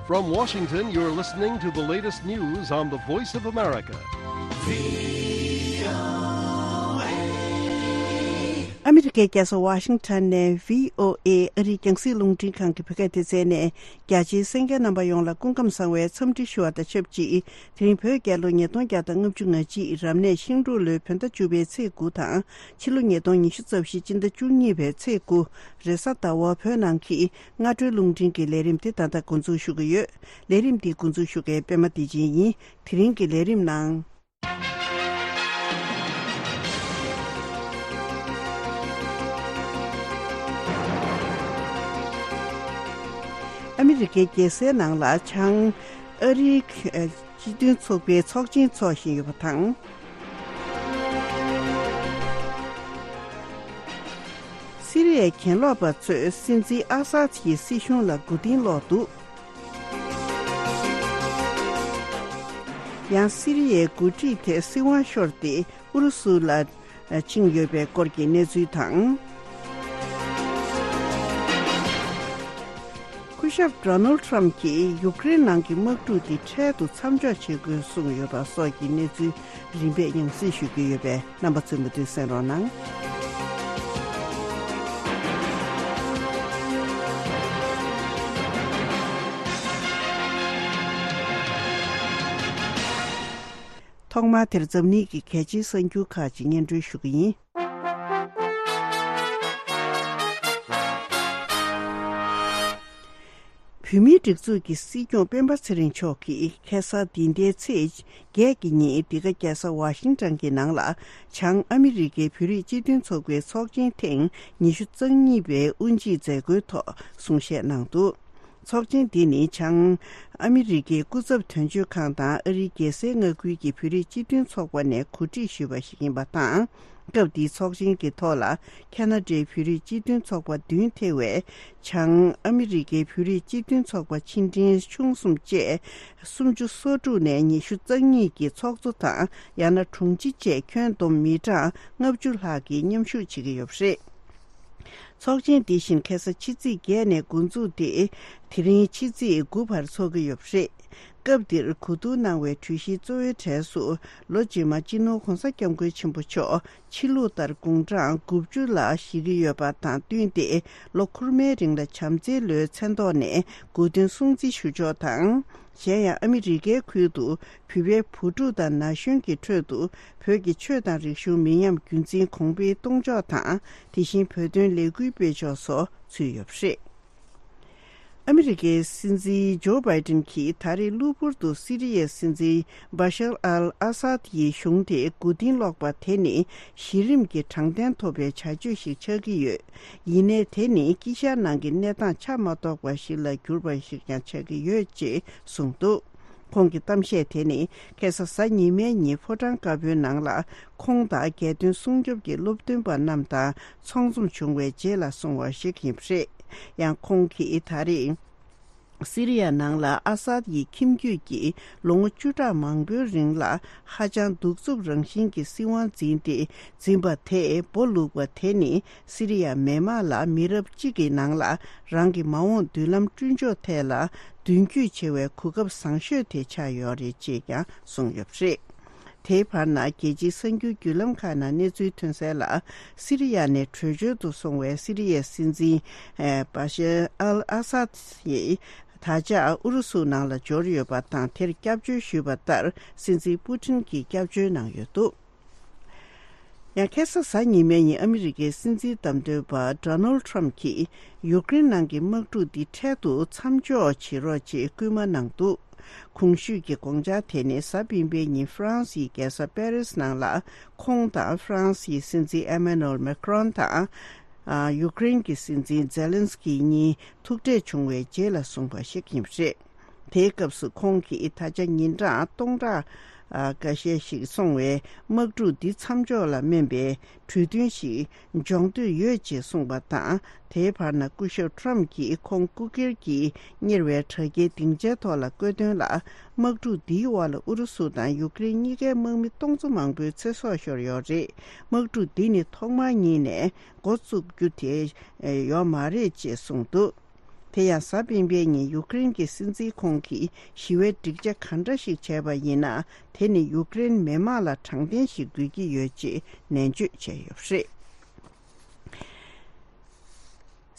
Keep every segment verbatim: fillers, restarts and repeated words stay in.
From Washington, you're listening to the latest news on the Voice of America. ཨ་མི་རི་ཀའི་རྒྱལ་ས་ཝ་ཤིང་ཊོན་ནས་བྷི་ཨོ་ཨེ་ཨ་རིའི་རྒྱང་སྲིང་རླུང་འཕྲིན་ཁང་གི་བོད་སྐད་སྡེ་ཚན་ནས། རྒྱ་ཆེའི་གསན་མཁན་རྣམ་པ་ཡོངས་ལ་སྐུ་ཁམས་བཟང་བའི་འཚམས་འདྲི་ཞུ་བ་དང་ཆབས་ཅིག་དེ་རིང་བོད་རྒྱལ་ལོ་ཉིས་སྟོང་བརྒྱ་དང་ལྔ་བཅུ་ང་གཅིག་རབ་གནས་ཤིང་འབྲུག་ལོའི་བོད་ཟླ་བཅུ་པའི་ཚེས་དགུ་དང་། ཕྱི་ལོ་ཉིས་སྟོང་ཉི་ཤུ་རྩ་བཞི་སྤྱི་ཟླ་བཅུ་གཉིས་པའི་ཚེས་དགུ། རེས་གཟའ་ཟླ་བ་བོད་ནང་གི་སྔ་དྲོའི་རླུང་འཕྲིན་གྱི་ལས་རིམ་དེ་ད་ལྟ་འགོ་འཛུགས་ཞུ་གི་ཡོད། ལས་རིམ་འདི་འགོ་འཛུགས་ཞུ་མཁན་པད་མ་བདེ་ཆེན་ཡིན། དེ་རིང་གི་ལས་རིམ་ནང་། ཨ་མི་རི་ཀའི་རྒྱལ་སའི་ནང་ལ་བྱང་ཨ་རིའི་སྤྱི་མཐུན་ཚོགས་པའི་ཚོགས་ཆེན་འཚོགས་བཞིན་ཡོད་པ་དང་། སི་རི་ཡའི་གྱེན་ལོག་པ་ཚོས་སྲིད་འཛིན་ཨ་སཱད་ཀྱི་སྲིད་གཞུང་ལ་མགོ་རྟིང་སློག་འདུག་ཡང་སི་རི་ཡའི་འགོ་ཁྲིད་དེ་སྲིད་དབང་ཤོར་ཏེ་ཨུ་རུ་སུ་ལ་ཕྱིན་ཡོད་པའི་སྐོར་གྱི་གནས་ཚུལ་དང་། སྐུ་ཞབས་ཌོ་ནལ་ཊམ་གྱིས་ཡུཀ་རེན་ནང་གི་དམག་འཁྲུག་འདི་འཕྲལ་དུ་མཚམས་འཇོག་བྱེད་དགོས་གསུངས་ཡོད་པ་སོགས་ཀྱི་གནས་ཚུལ་རིམ་པས་ཡང་སེ་ཞུ་རྒྱུ་ཡོད་པས། རྣམ་པ་ཚོས་མུ་མཐུད་གསན་རོགས་གནང་། ཐོག་མར་དེར་འཛམ་གླིང་གི་གལ་ཆེའི་གསར་འགྱུར་ཁག་ཅིག་སྙན་སྒྲོན་ཞུ་གི་ཡིན། བོད་མིའི་སྒྲིག་འཛུགས་ཀྱི་སྲིད་སྐྱོང་སྤེན་པ་ཚེ་རིང་མཆོག་གིས་ཁ་སང་འདི་ཟླའི་ཚེས་བརྒྱད་ཀྱི་ཉིན་འདི་ག་རྒྱལ་ས་ཝ་ཤིང་ཊོན་གྱི་ནང་ལ་བྱང་ཨ་མི་རི་ཀའི་བོད་རིགས་སྤྱི་མཐུན་ཚོགས་པའི་ཚོགས་ཆེན་ཐེངས་ཉི་ཤུ་རྩ་གཉིས་པའི་དབུ་འབྱེད་མཛད་སྒོའི་ཐོག་གསུང་བཤད་གནང་འདུག་ཚོགས་ཆེན་འདི་ནི་བྱང་ཨ་མི་རི་ཀའི་སྐུ་ཚབ་དོན་གཅོད་ཁང་དང་ཨ་རིའི་རྒྱལ་སའི་མངའ་ཁུལ་གྱི་བོད་རིགས་སྤྱི་མཐུན་ཚོགས་པ་ནས་གོ་སྒྲིག་ཞུས་པ་ཞིག་ཡིན་པ་དང་། སྐབས་འདིའི་ཚོགས་ཆེན་གྱི་ཐོག་ལ་ཁ་ན་ཌའི་བོད་རིགས་སྤྱི་མཐུན་ཚོགས་པ་བདུན་ཐེ་བའི་བྱང་ཨ་མི་རི་ཀའི་བོད་རིགས་སྤྱི་མཐུན་ཚོགས་པ་ཆེ་འབྲིང་ཆུང་གསུམ་བཅས་སུམ་ཅུ་སོ་དྲུག་ནས་ཉི་ཤུ་རྩ་གཉིས་ཀྱི་ཚོགས་གཙོ་དང་ཡང་ན་དྲུང་ཆེ་བཅས་ཁྱོན་བསྡོམས་མི་གྲངས་ལྔ་བཅུ་ལྷག་གིས་མཉམ་ཞུགས་བྱེད་ཀྱི་ཡོད་པ་རེད། ཚོགས་ཆེན་འདི་བཞིན་ཁ་སང་ཕྱི་ཚེས་བརྒྱད་ནས་འགོ་འཛུགས་ཏེ། དེ་རིང་ཕྱི་ཚེས་དགུ་བར་འཚོགས་ཀྱི་ཡོད་པ་རེད། སྐབས་འདིར་གོ་བསྡུར་གནང་བའི་གྲོས་གཞིའི་གཙོ་བོའི་གྲས་སུ། ལོ་རྗེས་མ་སྤྱི་ནོར་༧གོང་ས་༧སྐྱབས་མགོན་ཆེན་པོ་མཆོག་ཕྱི་ལུགས་ལྟར་དགུང་གྲངས་དགུ་བཅུ་ལ་བཞེས་ཀྱི་ཡོད་པ་དང་བསྟུན་ཏེ། ལོ་འཁོར་མའི་རིང་ལ་བྱམས་བརྩེའི་ལོའི་མཚན་ཐོག་ནས་གོ་སྟོན་སྲུང་བརྩི་ཞུ་ཕྱོགས་དང་། གཞན་ཡང་ཨ་མི་རི་ཀའི་ཁུལ་དུ་བོད་པའི་བུ་ཕྲུག་དང་ན་གཞོན་གྱི་ཁྲོད་དུ་བོད་ཀྱི་ཆོས་དང་རིག་གཞུང་མི་ཉམས་རྒྱུན་འཛིན་གོང་འཕེལ་གཏོང་ཕྱོགས་དང་། དེ་བཞིན་བོད་དོན་ལས་འགུལ་སྤེལ་ཕྱོགས་སོགས་ཚུད་ཡོད་པ་རེད། ཨ་མི་རི་ཀའི་སྲིད་འཛིན་ཇོ་བྷའི་ཏིན་གྱིས་ད་རེས་གློ་བུར་དུ་སི་རི་ཡའི་སྲིད་འཛིན་བྷ་ཤར་ཨལ་ཨ་སཱད་ཡི་གཞུང་དེ་མགོ་རྟིང་སློག་པ་དེ་ནི་གཞི་རིམ་གྱི་དྲང་བདེན་ཐོབ་པའི་བྱ་སྤྱོད་ཞིག་ཆགས་ཀྱི་ཡོད། ཡིན་ནའི་དེ་ནི་དཀྱིལ་ཤར་ནང་གི་གནས་སྟངས་ཆ་མ་རྟོགས་པ་ཞིག་ལ་གྱུར་པ་ཞིག་ཀྱང་ཆགས་ཀྱི་ཡོད་ཅེས་གསུངས་འདུག་ཁོང་གི་གཏམ་བཤད་དེ་ནི་ཁ་སང་གཟའ་ཉི་མའི་ཉིན་ཕོ་བྲང་དཀར་པོའི་ནང་ལ་ཁོང་དང་རྒྱལ་དོན་སྲུང་སྐྱོབ་ཀྱི་སློབ་སྟོན་པ་རྣམས་དང་ཚོགས་འཛོམས་བྱུང་བའི་རྗེས་ལ་གསུངས་པ་ཞིག་ཡིན་པ་རེད། ཡང་ཁོང་གིས་ད་རེས། སི་རི་ཡ་ནང་ལ་ཨ་སཱད་ཡི་ཁྱིམ་རྒྱུད་ཀྱིས་ལོ་ངོ་བཅུ་ཕྲག་མང་པོའི་རིང་ལ་ཧ་ཅང་གདུག་རྩུབ་རང་བཞིན་གྱི་སྲིད་དབང་འཛིན་ཏེ་འཛིན་པ་དེས་སྦོ་ལུག་པ་དེ་ནི་སི་རི་ཡ་མི་དམངས་ལ་མི་རབས་གཅིག་གི་ནང་ལ་རང་གི་མ་འོངས་མདུན་ལམ་བསྐྲུན་ཕྱོགས་ཐད་ལ་མདུན་སྐྱོད་བྱེད་པའི་གོ་སྐབས་བཟང་ཤོས་དེ་ཆགས་ཡོད་རེད་ཅེས་ཀྱང་གསུངས་ཡོད་པ་རེད། དེའི་བར་ན་རྒྱལ་སྤྱིའི་གསར་འགྱུར་བརྒྱུད་ལམ་ཁག་ནང་གནས་ཚུལ་ཐོན་གསལ་ལ། སི་རི་ཡ་ནས་བྲོས་བྱོལ་དུ་སོང་བའི་སི་རི་ཡའི་སྲིད་འཛིན་ཨེ་བྷ་ཤར་ཨལ་ཨ་སཱད་ཡིས་ད་ཆ་ཨུ་རུ་སུ་ནང་ལ་འབྱོར་ཡོད་པ་དང་། དེར་སྐྱབས་བཅོལ་ཞུས་པ་ལྟར་སྲིད་འཛིན་པུ་ཊིན་གྱིས་སྐྱབས་བཅོལ་གནང་ཡོད་འདུག་ཡང་ཁ་སང་གཟའ་ཉི་མའི་ཉིན་ཨ་མི་རི་ཀའི་སྲིད་འཛིན་བདམས་ཐོན་པ་ཌོ་ནལ་ཊམ་གྱིས་ཡུཀ་རེན་ནང་གི་དམག་འཁྲུག་འདི་འཕྲལ་དུ་མཚམས་འཇོག་བྱེད་རོགས་ཅེས་སྐུལ་མ་གནང་འདུག་གོང་ཞུས་ཀྱི་དགོངས་འཆར་དེ་ནི་གཟའ་སྤེན་པའི་ཉིན་ཧྥ་རན་སིའི་རྒྱལ་ས་པེ་རིས་ནང་ལ་ཁོང་དང་ཧྥ་རན་སིའི་སྲིད་འཛིན་ཨེ་མ་ནུ་ཨེལ་མེ་ཁྲོན་དང་། ཨ། ཡུཀ་རེན་གྱི་སྲིད་འཛིན་ཛེ་ལན་སི་ཀི་གཉིས་ཐུག་འཕྲད་བྱུང་བའི་རྗེས་ལ་གསུངས་པ་ཞིག་ཡིན་པ་རེད། དེའི་སྐབས་སུ་ཁོང་གིས་ད་ཆ་ཉིན་གྲངས་སྟོང་ཕྲག་ཨ། འགའ་ཤས་ཤིག་སོང་བའི་དམག་འཁྲུག་འདི་མཚམས་འཇོག་ལ་སྨན་པའི་གྲོས་མཐུན་ཞིག་འཇོག་འདོད་ཡོད་ཅེས་གསུངས་པ་དང་། དེའི་བར་ན་སྐུ་ཞབས་ཊམ་གྱིས་ཁོང་སྐུ་སྒེར་གྱི་གཉེར་བའི་དྲ་རྒྱའི་སྡིངས་ཆའི་ཐོག་ལ་བཀོད་དོན་ལ། དམག་འཁྲུག་འདིའི་འོག་ལ་ཨུ་རུ་སུ་དང་ཡུཀ་རེན་གཉིས་ཀའི་དམག་མི་སྟོང་ཚོ་མང་པོའི་ཚེ་སྲོག་ཤོར་ཡོད་རེད། དམག་འཁྲུག་འདི་ནི་ཐོག་མར་ཉིད་ནས་འགོ་བཙུགས་རྒྱུ་དེ་ཡོད་མ་རེད་ཅེས་གསུངས་འདུག་དེ་ཡང་གཟའ་སྤེན་པའི་ཉིན་ཡུཀ་རེན་གྱི་སྲིད་འཛིན་ཁོང་གིས་ཞི་བའི་འགྲིག་ཆ་ག་འདྲ་ཞིག་བྱས་པ་ཡིན་ན། དེ་ནི་ཡུཀ་རེན་མི་དམངས་ལ་དྲང་བདེན་ཞིག་དགོས་ཀྱི་ཡོད་ཅེས་ནན་བརྗོད་བྱས་ཡོད་པ་རེད།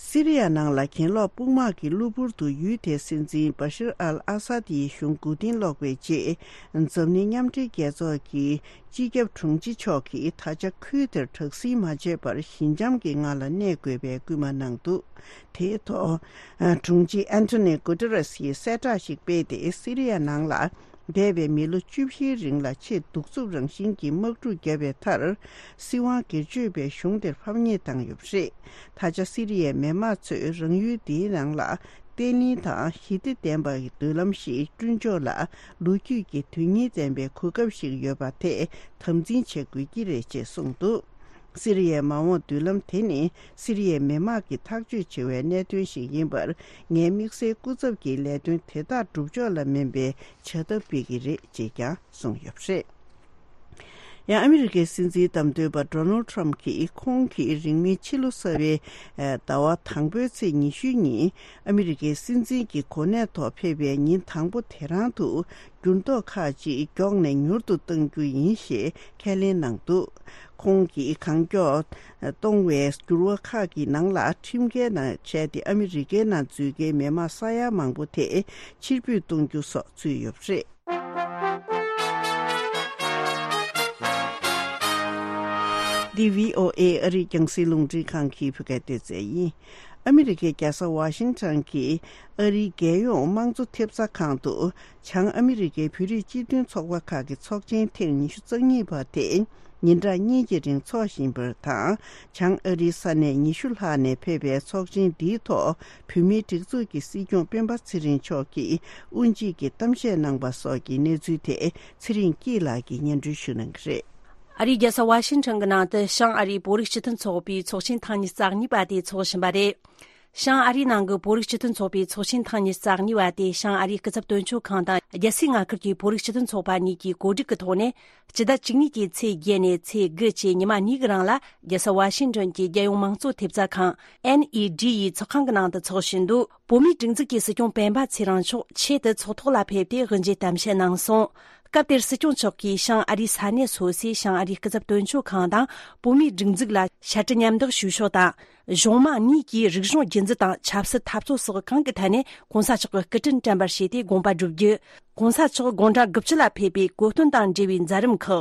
སི་རི་ཡ་ནང་ལ་གྱེན་ལོག་དཔུང་དམག་གི་གློ་བུར་དུ་ཡུལ་དེའི་སྲིད་འཛིན་བ་ཤར་ཨལ་ཨ་སཱད་ཡི་གཞུང་མགོ་རྟིང་སློག་པའི་རྗེས། འཛམ་གླིང་མཉམ་འབྲེལ་རྒྱལ་ཚོགས་ཀྱི་སྤྱི་ཁྱབ་དྲུང་ཆེ་མཆོག་གིས་ད་ཆ་ཁུལ་དེར་དྲག་ཟིང་མ་བྱས་པར་ཞི་འཇམ་གྱི་ངང་ལ་གནས་དགོས་པའི་སྐུལ་མ་གནང་འདུག་དེའི་ཐོག་དྲུང་ཆེ་ཨན་ཐོ་ནི་གུ་ཏེ་རེས་ཡིས་གསལ་བསྒྲགས་ཤིག་སྤེལ་ཏེ། སི་རི་ཡ་ནང་ལ་འདས་པའི་མི་ལོ་བཅུ་བཞིའི་རིང་ལ་ཆེས་གདུག་རྩུབ་རང་བཞིན་གྱི་དམག་འཁྲུག་བརྒྱབ་པའི་མཐར། སྲིད་དབང་སྒེར་གཅོད་པའི་གཞུང་དེར་ཕམ་ཉེས་བཏང་ཡོད་པ་རེད། ད་ཆ་སི་རི་ཡའི་མི་དམངས་ཚོས་རང་ཡུལ་འདིའི་ནང་ལ་བརྟན་བརླིང་དང་ཞི་བདེ་ལྡན་པའི་མདུན་ལམ་ཞིག་བསྐྲུན་ཕྱོགས་ལ་ལོ་རྒྱུས་ཀྱི་དོན་སྙིང་ལྡན་པའི་གོ་སྐབས་ཤིག་ཡོད་པ་དེ་དམ་འཛིན་བྱེད་དགོས་ཀྱི་རེད་ཅེས་གསུངས་འདུག་སི་རི་ཡའི་མ་འོངས་མདུན་ལམ་དེ་ནི་སི་རི་ཡའི་མི་དམངས་ཀྱིས་ཐག་གཅོད་བྱེད་པའི་གནད་དོན་ཞིག་ཡིན་པར། ངའི་དམིགས་བསལ་སྐུ་ཚབ་ཀྱིས་ལས་དོན་དེ་དག་སྒྲུབ་ཕྱོགས་ལ་སྨན་པའི་བྱ་ཐབས་སྤེལ་གྱི་རེད་ཅེས་ཀྱང་གསུངས་ཡོད་པ་རེད། ཡང་ཨ་མི་རི་ཀའི་སྲིད་འཛིན་བདམས་ཐོན་པ་ཌོ་ནལ་ཁྲམ་གྱིས་ཁོང་གིས་རིང་མིན་ཕྱི་ལོ་གསར་པའི་ཟླ་བ་དང་པོའི་ཚེས་ཉི་ཤུ་ཉིན་ཨ་མི་རི་ཀའི་སྲིད་འཛིན་གྱི་གོ་གནས་ཐོག་ཕེབས་པའི་ཉིན་དང་པོ་དེ་རང་དུ། འགྱུར་ལྡོག་ཁག་ཅིག་མགྱོགས་ནས་མྱུར་དུ་གཏང་རྒྱུ་ཡིན་ཞེས་ཁས་ལེན་གནང་འདུག་ཁོང་གིས་གང་མགྱོགས་གཏོང་བའི་འགྱུར་བ་ཁག་གི་ནང་ལ་ཁྲིམས་འགལ་ནང་བྱས་ཏེ་ཨ་མི་རི་ཀའི་ནང་འཛུལ་མཁན་མི་དམངས་ས་ཡ་མང་པོ་དེ་ཕྱིར་འབུད་གཏོང་རྒྱུ་སོགས་ཚུད་ཡོད་པ་རེད། འདི་བྷི་ཨོ་ཨེ་ཨ་རིའི་རྒྱང་སྲིང་རླུང་འཕྲིན་ཁང་གི་བོད་སྐད་སྡེ་ཚན་ཡིན། ཨ་མི་རི་ཀའི་རྒྱལ་ས་ཝ་ཤིང་ཊོན་གྱི་ཨ་རིའི་རྒྱལ་ཡོངས་དམངས་གཙོ་ཐེབས་རྩ་ཁང་དུ། བྱང་ཨ་མི་རི་ཀའི་བོད་རིགས་སྤྱི་མཐུན་ཚོགས་པ་ཁག་གི་ཚོགས་ཆེན་ཐེངས་ཉི་ཤུ་རྩ་གཉིས་པ་དེ་ཉིན་གྲངས་གཉིས་ཀྱི་རིང་འཚོགས་བཞིན་པ་དང་། བྱང་ཨ་རིའི་ས་གནས་ཉི་ཤུ་ལྷག་ནས་ཕེབས་པའི་ཚོགས་ཆེན་འདིའི་ཐོག་བོད་མིའི་སྒྲིག་འཛུགས་ཀྱི་སྲིད་སྐྱོང་སྤེན་པ་ཚེ་རིང་མཆོག་གིས་དབུ་འབྱེད་ཀྱི་གཏམ་བཤད་གནང་པ་སོགས་ཀྱི་གནས་ཚུལ་དེ་ཚེ་རིང་སྐྱིད་ལགས་ཀྱིས་སྙན་སྒྲོན་ཞུ་གནང་གི་རེད། ཨ་རིའི་རྒྱལ་ས་ཝ་ཤིང་ཊོན་གྱི་ནང་དུ་བྱང་ཨ་རིའི་བོད་རིགས་སྤྱི་མཐུན་ཚོགས་པའི་ཚོགས་ཆེན་ཐེངས་ཉི་ཤུ་རྩ་གཉིས་པ་དེ་འཚོགས་བཞིན་པ་རེད། བྱང་ཨ་རིའི་ནང་གི་བོད་རིགས་སྤྱི་མཐུན་ཚོགས་པའི་ཚོགས་ཆེན་ཐེངས་ཉི་ཤུ་རྩ་གཉིས་པ་དེ་བྱང་ཨ་རིའི་སྐུ་ཚབ་དོན་གཅོད་ཁང་དང་རྒྱལ་སའི་མངའ་ཁུལ་གྱི་བོད་རིགས་སྤྱི་མཐུན་ཚོགས་པ་གཉིས་ཀྱིས་གོ་སྒྲིག་གི་ཐོག་ནས་སྤྱི་ཟླ་བཅུ་གཉིས་ཀྱི་ཚེས་བརྒྱད་ནས་ཚེས་དགུ་བཅས་ཉི་མ་གཉིས་ཀྱི་རིང་ལ་རྒྱལ་ས་ཝ་ཤིང་ཊོན་གྱི་རྒྱལ་ཡོངས་དམངས་གཙོ་ཐེབས་རྩ་ཁང་ཨེན་ཨི་ཌི་ཡི་ཚོགས་ཁང་གི་ནང་དུ་འཚོགས་བཞིན་འདུག་བོད་མིའི་སྒྲིག་འཛུགས་ཀྱི་སྲིད་སྐྱོང་སྤེན་པ་ཚེ་རིང་མཆོག་ཆེད་དུ་ཚོགས་ཐོག་ལ་ཕེབས་ཏེ་དབུ་འབྱེད་གཏམ་བཤད་གནང་སོང་། སྐབས་དེར་སྲིད་སྐྱོང་མཆོག་གིས་བྱང་ཨ་རིའི་ས་གནས་སོ་སོའི་བྱང་ཨ་རིའི་སྐུ་ཚབ་དོན་གཅོད་ཁང་དང་བོད་མིའི་སྒྲིག་འཛུགས་ལ་ཕྱག་བྲིས་མཉམ་འདེགས་ཞུ་ཕྱོགས་དང་། གཞུང་མང་གཉིས་ཀྱིས་རིག་གཞུང་རྒྱུན་འཛིན་དང་ཆབ་སྲིད་འཐབ་རྩོད་སོགས་གང་གི་ཐད་ནས་གོང་ས་མཆོག་གི་སྐུ་དྲིན་དྲན་པར་བྱས་ཏེ་དགོངས་པ་སྒྲུབ་རྒྱུ། གོང་ས་མཆོག་དགུང་གྲངས་དགུ་བཅུ་ལ་ཕེབས་པའི་གོ་སྟོན་དང་འབྲེལ་བའི་མཛད་རིམ་ཁག་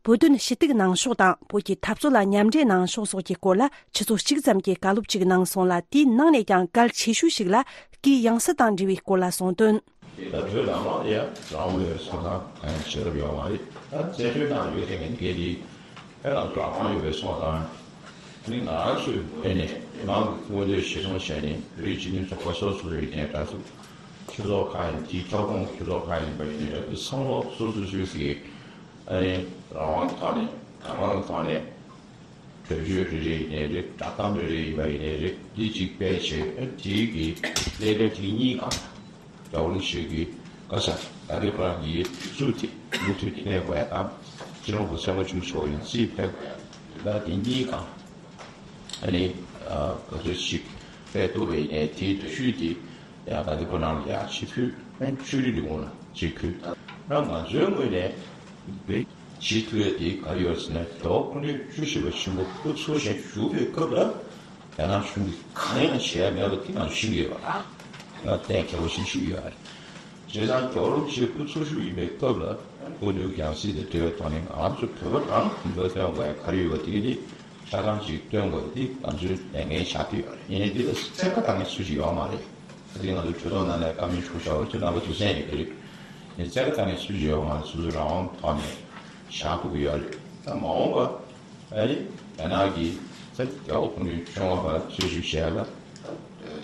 བོད་དོན་ཞུ་གཏུག་གནང་ཕྱོགས་དང་བོད་ཀྱི་འཐབ་རྩོད་ལ་མཉམ་འབྲེལ་གནང་ཕྱོགས་སོགས་ཀྱི་སྐོར་ལ་ཆུ་ཚོད་གཅིག་ཙམ་གྱི་བཀའ་སློབ་ཅིག་གནང་སོང་ལ། དེའི་ནང་ནས་ཀྱང་གལ་ཆེ་ཤོས་ཤིག་ལ་སྐད་ཡང་སྲིད་དང་འབྲེལ་བའི་སྐོར་ལ་གསུངས་དོན། དེ་ལྟར་བོད་ནང་ལ་ཡང་རང་དབང་ཡོད་པའི་སོང་ཙང་གང་ཡང་བྱེད་ཐབས་ཡོད་མ་རེད། ད་བཙན་བྱོལ་ནང་ཡོད་དེ་ངས་འདི་གས་དེ་ཕན་ལ་རང་དབང་ཡོད་པའི་སོང་ཙང་། ནི་ང་རང་ཚོའི་ངོས་ནས་མང་གི་མངོན་འདོད་གཞིར་བཟུང་བྱས་ནས་བོད་རིགས་སྤྱི་མཐུན་ཚོགས་པ་སོ་སོ་རེ་ཡིན་ནའི་འདྲ་ཚོ། སྤྱི་ཚོགས་ཁག་ཡིན་དེའི་ཁྱབ་ཁོངས་སྤྱི་ཚོགས་ཁག་ཡིན་པ་ཡིན་ནའི་འདྲ་ཚོ་བསམ་བློ་སོ་སོ་སོ་སོའི་ཨ་ནི་རང་དབང་ཐོག་ནས་རང་དབང་ཐོག་ནས་གྲོས་ཆོད་རེ་རེ་ཡིན་ནའི་རེད། བསྒྲགས་གཏམ་རེ་རེ་ཡིན་པ་ཡིན་ནའི་རེད། འདི་གཅིག་སྤེལ་བྱས་དེའི་གི་ལས་དོན་དེ་གཉིས་ཀ་རྒྱལ་བ་རིན་པོ་ཆེ་གི་བཀའ་ཤག་ད་གི་བར་གྱི་སྲོལ་དེ་མུ་མཐུད་གནས་དགོས་ཡ་དང་། སྤྱི་ནོར་གོང་ས་སྐྱབས་མགོན་ཆེན་པོ་མཆོག་ཡང་སྲིད་ཕེབས་དགོས་ཡ་ད་དེ་གཉིས་ཀ་ཨ་ནི་ག་ཚོད་ཅིག་སྤེལ་ཐུབ་པ་ཡིན་ནའི་དེའི་འདྲ་ཤུལ་དེ་ཡང་ད་གི་བར་ནང་ལ་ཡང་ཅིག་ཕུལ། ཨ་ནི་ཆོས་རིག་ལས་ཁུངས་ལ་ཅིག་ཕུལ། ད་ང་ཚོའི་ངོས་ནས་བེད་སྤྱི་ཐུབ་ཡ་དེ་ག་རེ་ཡོད་ཟེར་ན། རྒྱལ་བ་དཔལ་ལྡན་བཅུ་བཞི་པ་ཆེན་པོ་སྐུ་འཚོ་ཞིང་བཞུགས་པའི་སྐབས་ལ་རྒྱ་ནག་གཞུང་གིས་གང་ཡང་བྱས་མེད་པ་དེ་ང་ཚོ་ཤེས་ཀྱི་ཡོད་པ་རེད། ང་གཏན་འཁེལ་བ་ཞིག་ཞུ་ཡོད་རེད། བྱས་ཙང་རྒྱལ་བ་རིན་པོ་ཆེ་སྐུ་འཚོ་བཞུགས་ཡིན་པའི་སྐབས་ལ་སྐུ་མདུན་ཡང་སྲིད་དང་འབྲེལ་བའི་ཐོག་ནས་ང་ཚོ་བོད་པ་རང་གི་འགྲོ་སྟོན་དགོས་ཡ་ག་རེ་ཡོད་པ་དེ་གི་དེ་ཆ་ཚང་ཅིག་སྟོན་དགོས་ཡ་དེ་ང་ཚོའི་ལས་འགན་ཆགས་ཀྱི་ཡོད་རེད། ཡིན་ནའི་འདི་ལ་བཙན་བཀའ་བཏང་མཁན་སུ་ཞིག་ཡོད་མ་རེད། ད་དེ་ང་ཚོ་གྲོས་ཚོགས་ནང་ནས་བཀའ་མོལ་ཞུ་བྱ་བ་ཚོ་རྣམ་པ་ཚོ་གསན་ཡོད་ཀྱི་རེད། ཡིན་བཙན་བཀའ་བཏང་མཁན་སུ་ཞིག་ཡོད་མ་རེད། སོ་སོའི་རང་དབང་ཐོག་ནས་བཞག་ཐུབ་ཀྱི་ཡོད་རེད། ད་མ་འོངས་པ་ཨ་ནི་རྒྱ་ནག་གིས་ས་རྒྱལ་བ་ཁོང་ཚོའི་ཆོས་དབང་བར་རྩོད་ཞིབ་བྱས་ལ་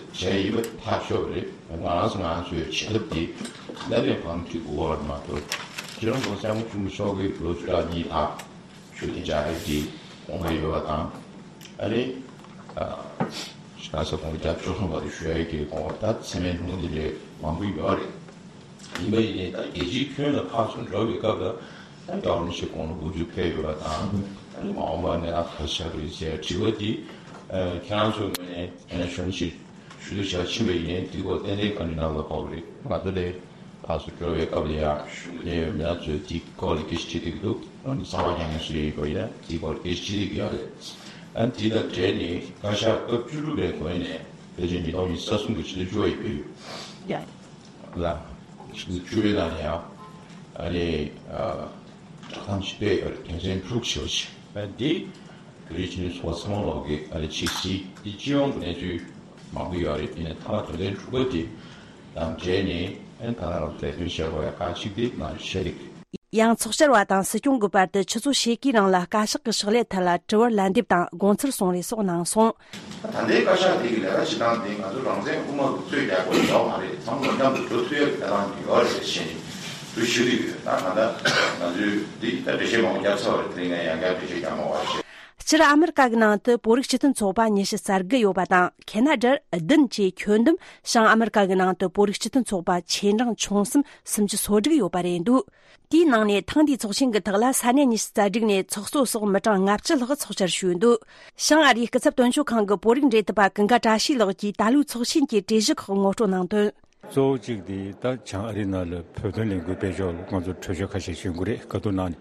བྱས་ཡིན་པ་ཐག་ཆོད་རེད། ང་རང་ཚོ་ང་ཚོའི་བྱེད་ཐབས་དེ་ལས་མེད་པ་ཅིག་དགོས་པ་མ་གཏོགས། སྤྱི་ནོར་གོང་ས་སྐྱབས་མགོན་ཆེན་པོ་མཆོག་གིས་ལོ་བཅུ་ཕྲག་གཉིས་ལྷག་ཆོས་དད་བཅའ་ཡིག་དེ་དགོངས་པ་ཡོད་པ་དང་། ཨ་ནི་ཨ་ག་ས་དགོངས་པ་བརྒྱ་བཅུ་གསུམ་པ་དེ་ཞུ་ཡ་གི་དགོངས་པ་ད་ཚད་མའི་ལུང་དེ་ལས་མང་པོ་ཡོད་རེད། ཡིན་པ་ཡིན་ནའི་ད་རྒྱལ་སྤྱིའི་ཁྱོན་ལ་ཕར་ཚུར་འགྲོ་བའི་སྐབས་ལ་ད་རྒྱལ་བ་རིན་པོ་ཆེ་དགུང་ལོ་དགུ་བཅུ་ཕེབས་ཡོད་པ་དང་། ཨ་ནི་མ་འོངས་པ་ནས་ད་ག་ཆགས་ཀྱི་རེད་ཟེར་དྲི་བ་དེ་ཨ་ཁྱེད་རང་ཚོའི་ངོས་ནས་ཨ་ནི་གཞུང་ཞིག་ ཞུ་གཏུག་བྱ་ཕྱིན་པ་ཡིན་ནའི་དེའི་སྐོར་ཏན་ཏན་བཀའ་འདྲི་གནང་དགོས་པ་རེད། ང་ཚོ་ལས་ཕར་ཚུར་འགྲོ་བའི་སྐབས་ལ་ཡང་གཞུང་གི་གནད་ཡོད་མི་སྣ་ཚོས་དེའི་སྐོར་ལ་སྐད་ཆ་དྲིས་བསྡད་ཀྱི་འདུག་ཨ་ནི་གསར་པ་རྒྱག་མཁན་སུ་ཡིན་པ་ཡིན་ན་དེའི་སྐོར་སྐད་ཆ་དྲིས་བསྡད་ཀྱི་ཡོད་རེད། ཨ་ནི་དེ་དང་འབྲེལ་ནས་བཀའ་ཤག་སྐབས་བཅུ་དྲུག་པའི་འགོ་ནས་ཕལ་ཆེར་ཉིས་སྟོང་ཉི་ཤུ་རྩ་གསུམ་གྱི་ཕྱི་ཟླ་བཅུ་པ་ཡི་བོད་ཡིག་ཡ། ལ། ཕྱི་ཟླ་བཅུ་པའི་ནང་ནས་ཡང་ཨ་ནི་ཨ། བསྒྲགས་གཏམ་ཞིག་སྤེལ་ཡོད་རེད། དོན་ཚན་དྲུག་ཞེས་པ་ཞིག་ཨ་ནི་དེ་བོད་རིགས་སྤྱི་མཐུན་ཚོགས་པ་ཚང་མ་ལོག་གི་ཨ་ནི་ཆིག་སྒྲིལ་དེ་སྤྱི་ཡོངས་ཀྱི་གནས་ཚུལ་མང་པོ་ཡོད་རེད། ཡིན་ནའི་མཐའ་མ་དོན་ཚན་དྲུག་པ་དེ་དང་འབྲེལ་ནས་ཨ་ནི་ད་ནང་ལ་ལས་དོན་བྱེད་དགོས་ཡ་ཁག་ཅིག་དེ་ང་ཚོས་བཤད་རིགས། ཡང་ཚོགས་བཅར་བ་དང་སྲིད་སྐྱོང་གི་བར་དུ་ཆུ་ཚོད་ཕྱེད་ཀའི་རིང་ལ་བཀའ་ཤག་གི་ཕྱག་ལས་ཐད་ལ་དྲི་བར་ལན་འདེབས་དང་དགོངས་ཚུལ་གསུང་རེས་སོགས་གནང་སོང་། ད་ལྟའི་བཀའ་ཤག་དེ་གི་ལས་ཀ་བྱེད་སྟངས་དེ་ང་ཚོ་རང་བཙན་དབུ་མ་རུ་ཚོད་རྒྱག་དགོས་ཡོད་མ་རེད། ཚང་མ་མཉམ་དུ་འགྲོ་ཐུབ་ཡ་གི་ཐད་ལ་ཡོད་རེད་ཞེས་ནས་འདུ་ཤེས་ཀྱི་ཡོད། ད་གང་ལྟར་ང་ཚོས་འདི་ད་འགྲེལ་བཤད་མང་པོ་བརྒྱབ་ཚར་བ་རེད། དེ་རིང་ངས་ཡང་བསྐྱར་འགྲེལ་བཤད་རྒྱག་མ་དགོས་པ་བྱས། སྤྱིར་ཨ་མི་རི་ཀ་གི་ནང་དུ་བོད་རིགས་སྤྱི་མཐུན་ཚོགས་པ་ཉི་ཤུ་རྩ་དགུ་ཡོད་པ་དང་། ཁེ་ན་ཌར་བདུན་བཅས་ཁྱོན་བསྡོམས་བྱང་ཨ་མི་རི་ཀ་གི་ནང་དུ་བོད་རིགས་སྤྱི་མཐུན་ཚོགས་པ་ཆེ་འབྲིང་ཆུང་གསུམ་སུམ་ཅུ་སོ་དྲུག་ཡོད་པ་རེད་འདུག་དེའི་ནང་ནས་ཐེངས་འདིའི་ཚོགས་ཆེན་གྱི་ཐོག་ལ་ས་གནས་ཉི་ཤུ་རྩ་དྲུག་ནས་ཚོགས་གཙོ་སོགས་མི་གྲངས་ལྔ་བཅུ་ལྷག་ཚོགས་བཅར་ཞུས་འདུག་བྱང་ཨ་རིའི་སྐུ་ཚབ་དོན་གཅོད་ཁང་གི་བོད་རིགས་འབྲེལ་མཐུད་པ་ཀུན་དགའ་བཀྲ་ཤིས་ལགས་ཀྱིས་ད་ལོའི་ཚོགས་ཆེན་གྱི་གྲོས་གཞི་ཁག་ངོ་སྤྲོད་གནང་དོན། གཙོ་བོ་གཅིག་དེ་ད་བྱང་ཨ་རིའི་ནང་ལ་བོད་དོན་ལས་འགུལ་སྤེལ་ཕྱོགས་ལ་ང་ཚོ་གྲོས་ཆོད་ཁ་ཤས་ཞུ་དགོས་རེད། བཀའ་བསྡུར་གནང་ནས།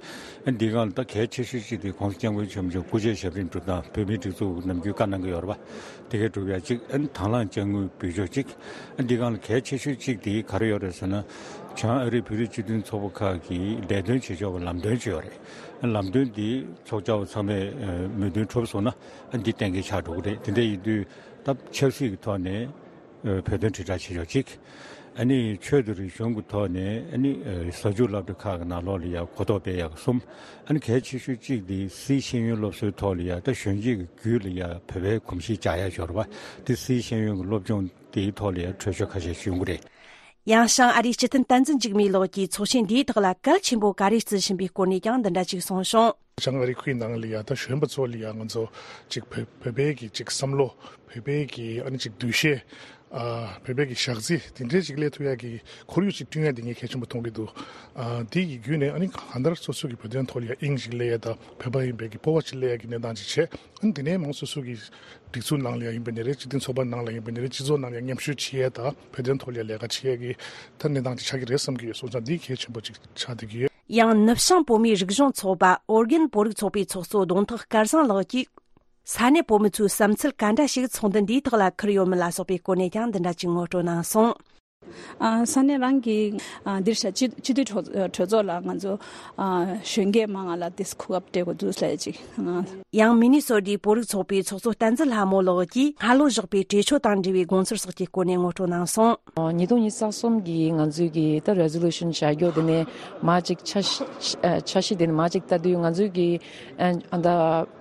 ཨ་འདི་སྒང་ལ་ད་གལ་ཆེ་ཤོས་གཅིག་དེ་༸གོང་ས་༸སྐྱབས་མགོན་ཆེན་པོ་མཆོག་སྐུ་ཕྱྭའི་ཞབས་རིམ་སྒྲུབ་སྟངས་བོད་མིའི་སྒྲིག་འཛུགས་ནམ་རྒྱུན་བཀའ་གནང་གི་ཡོད་རེད་པ། དེ་གའི་སྒྲུབ་ཡ་གཅིག་ཨ་ནི་དང་བླངས་དཔྱ་དངུལ་འབུལ་ཕྱོགས་གཅིག་ཨ་འདི་སྒང་ལ་གལ་ཆེ་ཤོས་གཅིག་དེ་ག་རེ་ཡོད་རེད་ཟེར་ན། བྱང་ཨ་རིའི་བོད་རིགས་སྤྱི་མཐུན་ཚོགས་པ་ཁག་གིས་ལས་དོན་བྱེད་ཕྱོགས་ཀྱི་ལམ་སྟོན་ཅིག་ཡོད་རེད། ཨ་ལམ་སྟོན་འདི་ཚོགས་བཅར་བ་ཚང་མས་མོས་མཐུན་གྲུབ་སོང་ན་ཨ་འདི་གཏན་འཁེལ་ཆགས་འགྲོ་གི་རེད། དེ་འདྲ་ཡིན་དུས་ད་ཆབ་སྲིད་ཀྱི་ཐོག་ནས་བོད་དོན་དྲིལ་བསྒྲགས་བྱེད་ཕྱོགས་གཅིག་ཨ་ནི་ཆོས་དང་རིག་གཞུང་གི་ཐོག་ནས་ཨ་ནི་གཟའ་མཇུག་སློབ་གྲྭ་ཁག་གི་ནང་ལོགས་ལ་ཡ་གོ་རྟོགས་སྤེལ་ཡག་གི་གསུམ། ཨ་ནི་གལ་ཆེ་ཤོས་གཅིག་དེ་སིའི་ཤེས་ཡོན་སློབ་གསོའི་ཐོག་ལ་ཡ་ད་གཞོན་སྐྱེས་ཀྱི་རྒྱུད་ལ་ཡ་བོད་པའི་གོམས་གཤིས་འཇགས་ཡ་ཞོར་བ་དེ་སིའི་ཤེས་ཡོན་གྱི་སློབ་སྦྱོང་དེའི་ཐོག་ལ་ཡ་གྲོས་ཆོད་ཁ་ཤས་ཞུ་གི་རེད། ཡང་བྱང་ཨ་རིའི་སྤྱི་མཐུན་བསྟན་འཛིན་འཇིགས་མེད་ལགས་ཀྱིས་ཚོགས་ཆེན་འདིའི་ཐོག་ལ་གལ་ཆེན་པོ་ག་རེ་བརྩི་བཞིན་པའི་སྐོར་ནས་ཀྱང་འདི་འདྲ་ཅིག་གསུངས་བྱུང་། བྱང་ཨ་རི་ཁུལ་ནང་ལ་ཡ་ད་གཞོན་པ་ཚོ་ལ་ཡ་ང་ཚོ་ཅིག་བོད་བོད་པའི་གི་ཅིག་བསམ་བློ། བོད་པའི་གི་ཨ་ནི་ཅིག་འདུ་ཤེས། ཨ་བོད་པའི་གི་ཞག་རྩི་དེ་འདྲའི་ཅིག་སླེབས་ཐུབ་ཡ་གི་ཁོར་ཡུག་ཅིག་བསྐྲུན་ཡ་དེ་ངས་གལ་ཆེན་པོ་མཐོང་གི་འདུག་ཨ་དེ་གི་བརྒྱུད་ནས་ཨ་ནི་གང་ལྟར་སོ་སོ་གི་བོད་དོན་ཐོག་ལ་ཡ་དབྱིངས་ཅིག་སླེབས་ཡ་དང་བོད་པ་ཡིན་པའི་གི་སྤོབས་པ་ཅིག་སླེབས་ཡ་གི་གནས་སྟངས་ཅིག་བྱས། ཨ་ནི་དེ་ནས་མང་སོ་སོ་གི་སྒྲིག་འཛུགས་ནང་ལ་ཡ་ཡིན་པ་ནི་རེད། སྤྱི་མཐུན་ཚོགས་པ་ནང་ལ་ཡིན་པ་ནི་རེད། སྤྱི་ཚོགས་ནང་ལ་ཡ་མཉམ་ཞུགས་བྱེད་ཡ་དང་བོད་དོན་ཐོག་ལ་ཡ་ལས་ཀ་བྱེད་ཡ་གི་ད་གནས་སྟངས་ཅིག་ཆགས་ཀྱི་རེད་བསམ་གྱི་ཡོད། སོང་ཙང་འདི་གལ་ཆེན་པོ་ཅིག་ཆགས་བསྡད་ཀྱི་ཡོད། ཡང་ནུབ་བྱང་བོད་མིའི་རིག་གཞུང་ཚོགས་པ་ཨོ་རྒྱན་བོད་རིགས་ཚོགས་པའི་ཚོགས་གཙོ་གདོང་ཐུག་སྐལ་བཟང་ལགས་ཀྱིས། ས་གནས་བོད་མི་ཚོའི་བསམ་ཚུལ་ག་འདྲ་ཞིག་ཚོགས་འདུ་འདིའི་ཐོག་ལ་འཁུར་ཡོད་མེད་ལ་སོགས་པའི་སྐོར་ནས་ཀྱང་འདི་འདྲ་ཅིག་ངོ་སྤྲོད་གནང་སོང་། ཨ་ས་གནས་རང་གི་ཨ་འདིར་བྱ་སྤྱི་སྤྱི་འཐུས་གྲོས་གྲོས་ཚོགས་ལ་ང་ཚོ་ཨ་གཞོན་སྐྱེས་མང་ང་ལ་དེ་གོ་སྐབས་སྤྲད་དགོས་འདུག་ཟེར་ཅིག་ཨ། ཡང་མི་ནི་སོ་ཏའི་བོད་རིགས་ཚོགས་པའི་ཚོགས་གཙོ་བསྟན་འཛིན་ལྷ་མོ་ལགས་ཀྱིས་སྔ་ལོ་བཞག་པའི་གྲོས་ཆོད་དང་འབྲེལ་བའི་དགོངས་ཚུལ་སོགས་ཀྱི་སྐོར་ནས་ངོ་སྤྲོད་གནང་སོང་། ཉིས་སྟོང་ཉི་ཤུ་རྩ་གསུམ་གྱི་ང་ཚོའི་གི་ད་རེ་ཟོ་ལུ་ཤན་བཞག་རྒྱུ་དེ་ནས་མ་ཅིག་འཆར་གཞི་འཆར་གཞི་དེ་ནས་མ་ཅིག་ལྟ་དུས་ང་ཚོའི་གི་ཨ་ད་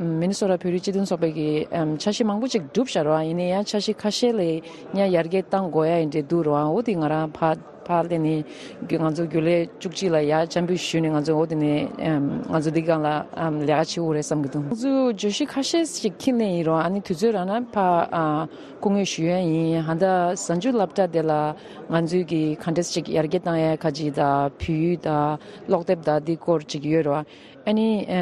མི་ནི་སོ་ཊ་བོད་རིགས་སྤྱི་མཐུན་ཚོགས་པའི་གི་འཆར་གཞི་མང་པོ་ཅིག་གྲུབ་བཞག་རེད་བ། ཡིན་ནའི་ཡང་འཆར་གཞི་ཁ་ཤས་ལས་ཡང་ཡར་རྒྱས་གཏང་དགོས་ཡ་ཡིན་འདྲ་འདུག་རེད་བ། འོ་དེ་ང་རང་ཕར་ཕར་ལས་ནས་ང་ཚོ་རྒྱུན་ལས་བཅུ་གཅིག་ལ་ཡར་འཆམ་འབུལ་ཞུས་ནས་ང་ཚོ་འོ་དེ་ནས་ང་ཚོ་འདི་སྒང་ལ་ལས་ཀ་བྱེད་དགོས་རེད་བསམ་གི་འདུག་ང་ཚོ་བརྗོད་གཞི་ཁ་ཤས་ཅིག་འཁྱེར་ནས་ཡིན་རུང་ཨ་ནི་དུས་ཚོད་རག་ན་ཕར་སྐུ་ངོ་ཞུ་ཡ་ཡིན། ཧ་ད་གཟའ་མཇུག་སློབ་གྲྭ་དེ་ལ་ང་ཚོའི་གི་ག་འདྲས་ཅིག་ཡར་རྒྱས་གཏང་ཡ་ཁ་ཅིག་དང་བོད་ཡིག་དང་ཀློག་དེབ་དང་འདི་སྐོར་ཅིག་ཡོད་རེད་བ། ཨ་ནི་ཨ་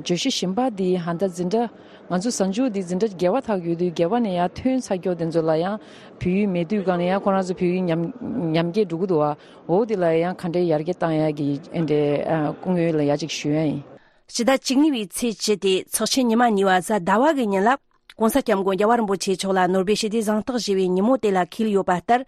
བརྗོད་གཞི་གཞན་པ་འདི་ཧ་ད་འཛིན་གྲྭ་ང་ཚོ་གཟའ་མཇུག་འདི་འཛིན་གྲྭ་བརྒྱད་པ་ཐག་ཡོད་དུས་བརྒྱད་པ་ནས་ཡར་ཐོན་ཚར་ཀྱོག་དེ་ཚོ་ལ་ཡང་བོད་ཡིག་མེད་དུས་སྒང་ལ་ཡང་ཁོ་རང་ཚོ་བོད་ཡིག་ཉམས་ཉམས་རྒྱས་འགྲོ་གི་འདུག་བ། འོ་དེ་ལ་ཡང་ག་འདྲའི་ཡར་རྒྱས་བཏང་ཡག་གི་ཨེ་འདྲའི་ཨ་སྐུ་ངོ་ལ་ཡ་གཅིག་ཞུ་ཡ་ཡིན། ཕྱི་ཟླ་བཅུ་གཉིས་པའི་ཚེས་བཅུ་སྟེ་ཚོགས་ཆེན་ཉི་མ་གཉིས་པ་གཟའ་ཟླ་བ་གི་ཉིན་ལ་༸གོང་ས་༸སྐྱབས་མགོན་རྒྱལ་བ་རིན་པོ་ཆེ་མཆོག་ལ་ནོ་སྦེལ་ཞི་བདེའི་གཟེངས་རྟགས་བཞེས་པའི་ཉིན་མོ་དེ་ལ་འཁེལ་ཡོད་པ་ལྟར།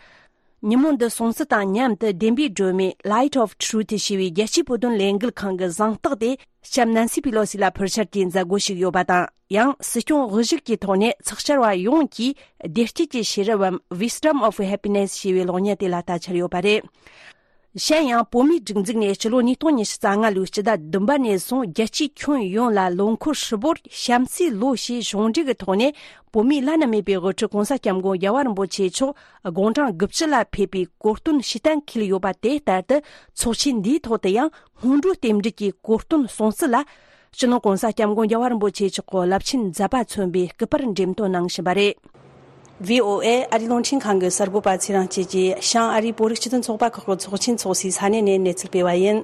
ཉིན་མོ་འདི་སྲུང་བརྩི་དང་མཉམ་དུ་བདེན་པའི་སྒྲོན་མེ་Light of Truth ཞེས་པའི་རྒྱལ་སྤྱིའི་བོད་དོན་ལས་འགུལ་ཁང་གི་གཟེངས་རྟགས་དེ་ལྕམ་ནན་སི་པི་ལོ་སི་ལ་ཕུལ་འཆར་གྱི་མཛད་སྒོ་ཞིག་ཡོད་པ་དང་། ཡང་སྲིད་སྐྱོང་དབུ་བཞུགས་ཀྱི་ཐོག་ནས་ཚོགས་བཅར་བ་ཡོངས་ཀྱིས་བདེ་སྐྱིད་ཀྱི་ཤེས་རབ་བམ་Wisdom of Happiness ཞེས་པའི་གློག་བརྙན་དེ་ལ་ལྟ་འཆར་ཡོད་པ་རེད། གཞན་ཡང་བོད་མིའི་སྒྲིག་འཛུགས་ནས་སྤྱི་ལོ་ཉིས་སྟོང་ཉི་ཤུ་རྩ་ལྔ་ལོའི་སྤྱི་ཟླ་བདུན་པ་ནས་བཟུང་རྒྱལ་སྤྱིའི་ཁྱོན་ཡོངས་ལ་ལོ་འཁོར་ཧྲིལ་པོར་བྱམས་བརྩེའི་ལོ་ཞེས་གཞུང་འབྲེལ་གྱི་ཐོག་ནས་བོད་མིའི་བླ་ན་མེད་པའི་དབུ་ཁྲིད་༸གོང་ས་༸སྐྱབས་མགོན་རྒྱལ་བ་རིན་པོ་ཆེ་མཆོག་དགུང་གྲངས་དགུ་བཅུ་ལ་ཕེབས་པའི་གོ་སྟོན་ཕྱིར་བསྟན་འཁེལ་ཡོད་པ་དེ་ལྟར་དུ་ཚོགས་ཆེན་འདིའི་ཐོག་ཏུ་ཡང་སྔོན་འགྲོའི་རྟེན་འབྲེལ་གྱི་གོ་སྟོན་སྲུང་བརྩི་ལ། སྤྱི་ནོར་༸གོང་ས་༸སྐྱབས་མགོན་རྒྱལ་བ་རིན་པོ་ཆེ་མཆོག་གི་རླབས་ཆེན་མཛད་པ་མཚོན་པའི་སྐུ་པར་འགྲེམས་སྟོན་གནང་བཞིན་པ་རེད། ཝི་ཨོ་ཨེ་ཨ་རིའི་རླུང་འཕྲིན་ཁང་གི་གསར་འགོད་པ་ཚེ་རིང་སྐྱིད་ཀྱིས་བྱང་ཨ་རིའི་བོད་རིགས་སྤྱི་མཐུན་ཚོགས་པ་ཁག་གི་ཚོགས་ཆེན་འཚོགས་སའི་ས་གནས་ནས་གནས་ཚུལ་སྤེལ་བ་ཡིན།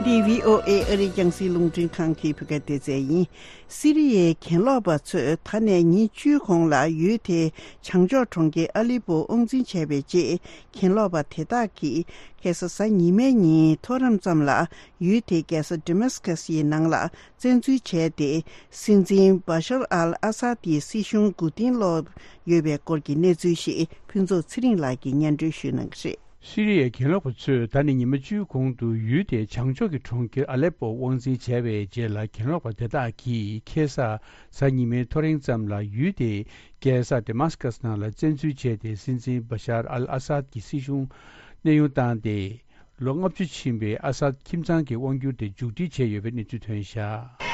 འདི་བྷི་ཨོ་ཨེ་ཨ་རིའི་རྒྱང་སྲིང་རླུང་འཕྲིན་ཁང་གི་བོད་སྐད་སྡེ་ཚན་ཡིན། སི་རི་ཡའི་གྱེན་ལོག་པ་ཚོས་ད་ནས་ཉིན་བཅུའི་གོང་ལ་ཡུལ་དེའི་བྱང་ཕྱོགས་གྲོང་ཁྱེར་ཨ་ལི་པོ་དབང་འཛིན་བྱས་པའི་རྗེས། གྱེན་ལོག་པ་དེ་དག་གིས་ཁ་སང་གཟའ་ཉི་མའི་ཉིན་མཐོ་རིམ་ཙམ་ལ་ཡུལ་དེའི་རྒྱལ་ས་ཌི་མཱ་སི་ཀ་སི་ཡི་ནང་ལ་བཙན་འཛུལ་བྱས་ཏེ། སྲིད་འཛིན་བྷ་ཤར་ཨལ་ཨ་སཱད་ཀྱི་སྲིད་གཞུང་མགོ་རྟིང་སློག་ཡོད་པའི་སྐོར་གྱི་གནས་ཚུལ་ཞིག་ཕུན་ཚོགས་ཚེ་རིང་ལགས་ཀྱིས་སྙན་སྒྲོན་ཞུ་གནང་གི་རེད། སི་རི་ཡའི་གྱེན་ལོག་པ་ཚོས་ད་ནི་ཉི་མ་བཅུའི་གོང་དུ་ཡུལ་དེའི་བྱང་ཕྱོགས་ཀྱི་གྲོང་ཁྱེར་ཨ་ལེ་པོ་དབང་འཛིན་བྱས་པའི་རྗེས་ལ། གྱེན་ལོག་པ་དེ་དག་གིས་ཁ་སང་གཟའ་ཉི་མའི་ཐོ་རེངས་ཙམ་ལ་ཡུལ་དེའི་རྒྱལ་ས་ཌི་མཱ་སི་ཀ་སི་ནང་ལ་བཙན་འཛུལ་བྱས་ཏེ། སྲིད་འཛིན་བྷ་ཤར་ཨལ་ཨ་སཱད་ཀྱི་སྲིད་གཞུང་གནས་དབྱུང་བཏང་སྟེ། ལོ་ལྔ་བཅུ་ཕྱིན་པའི་ཨ་སཱད་ཁྱིམ་ཚང་གི་དབང་སྒྱུར་དེ་མཇུག་སྒྲིལ་བྱས་ཡོད་པའི་གནས་ཚུལ་ཐོན་བཞག་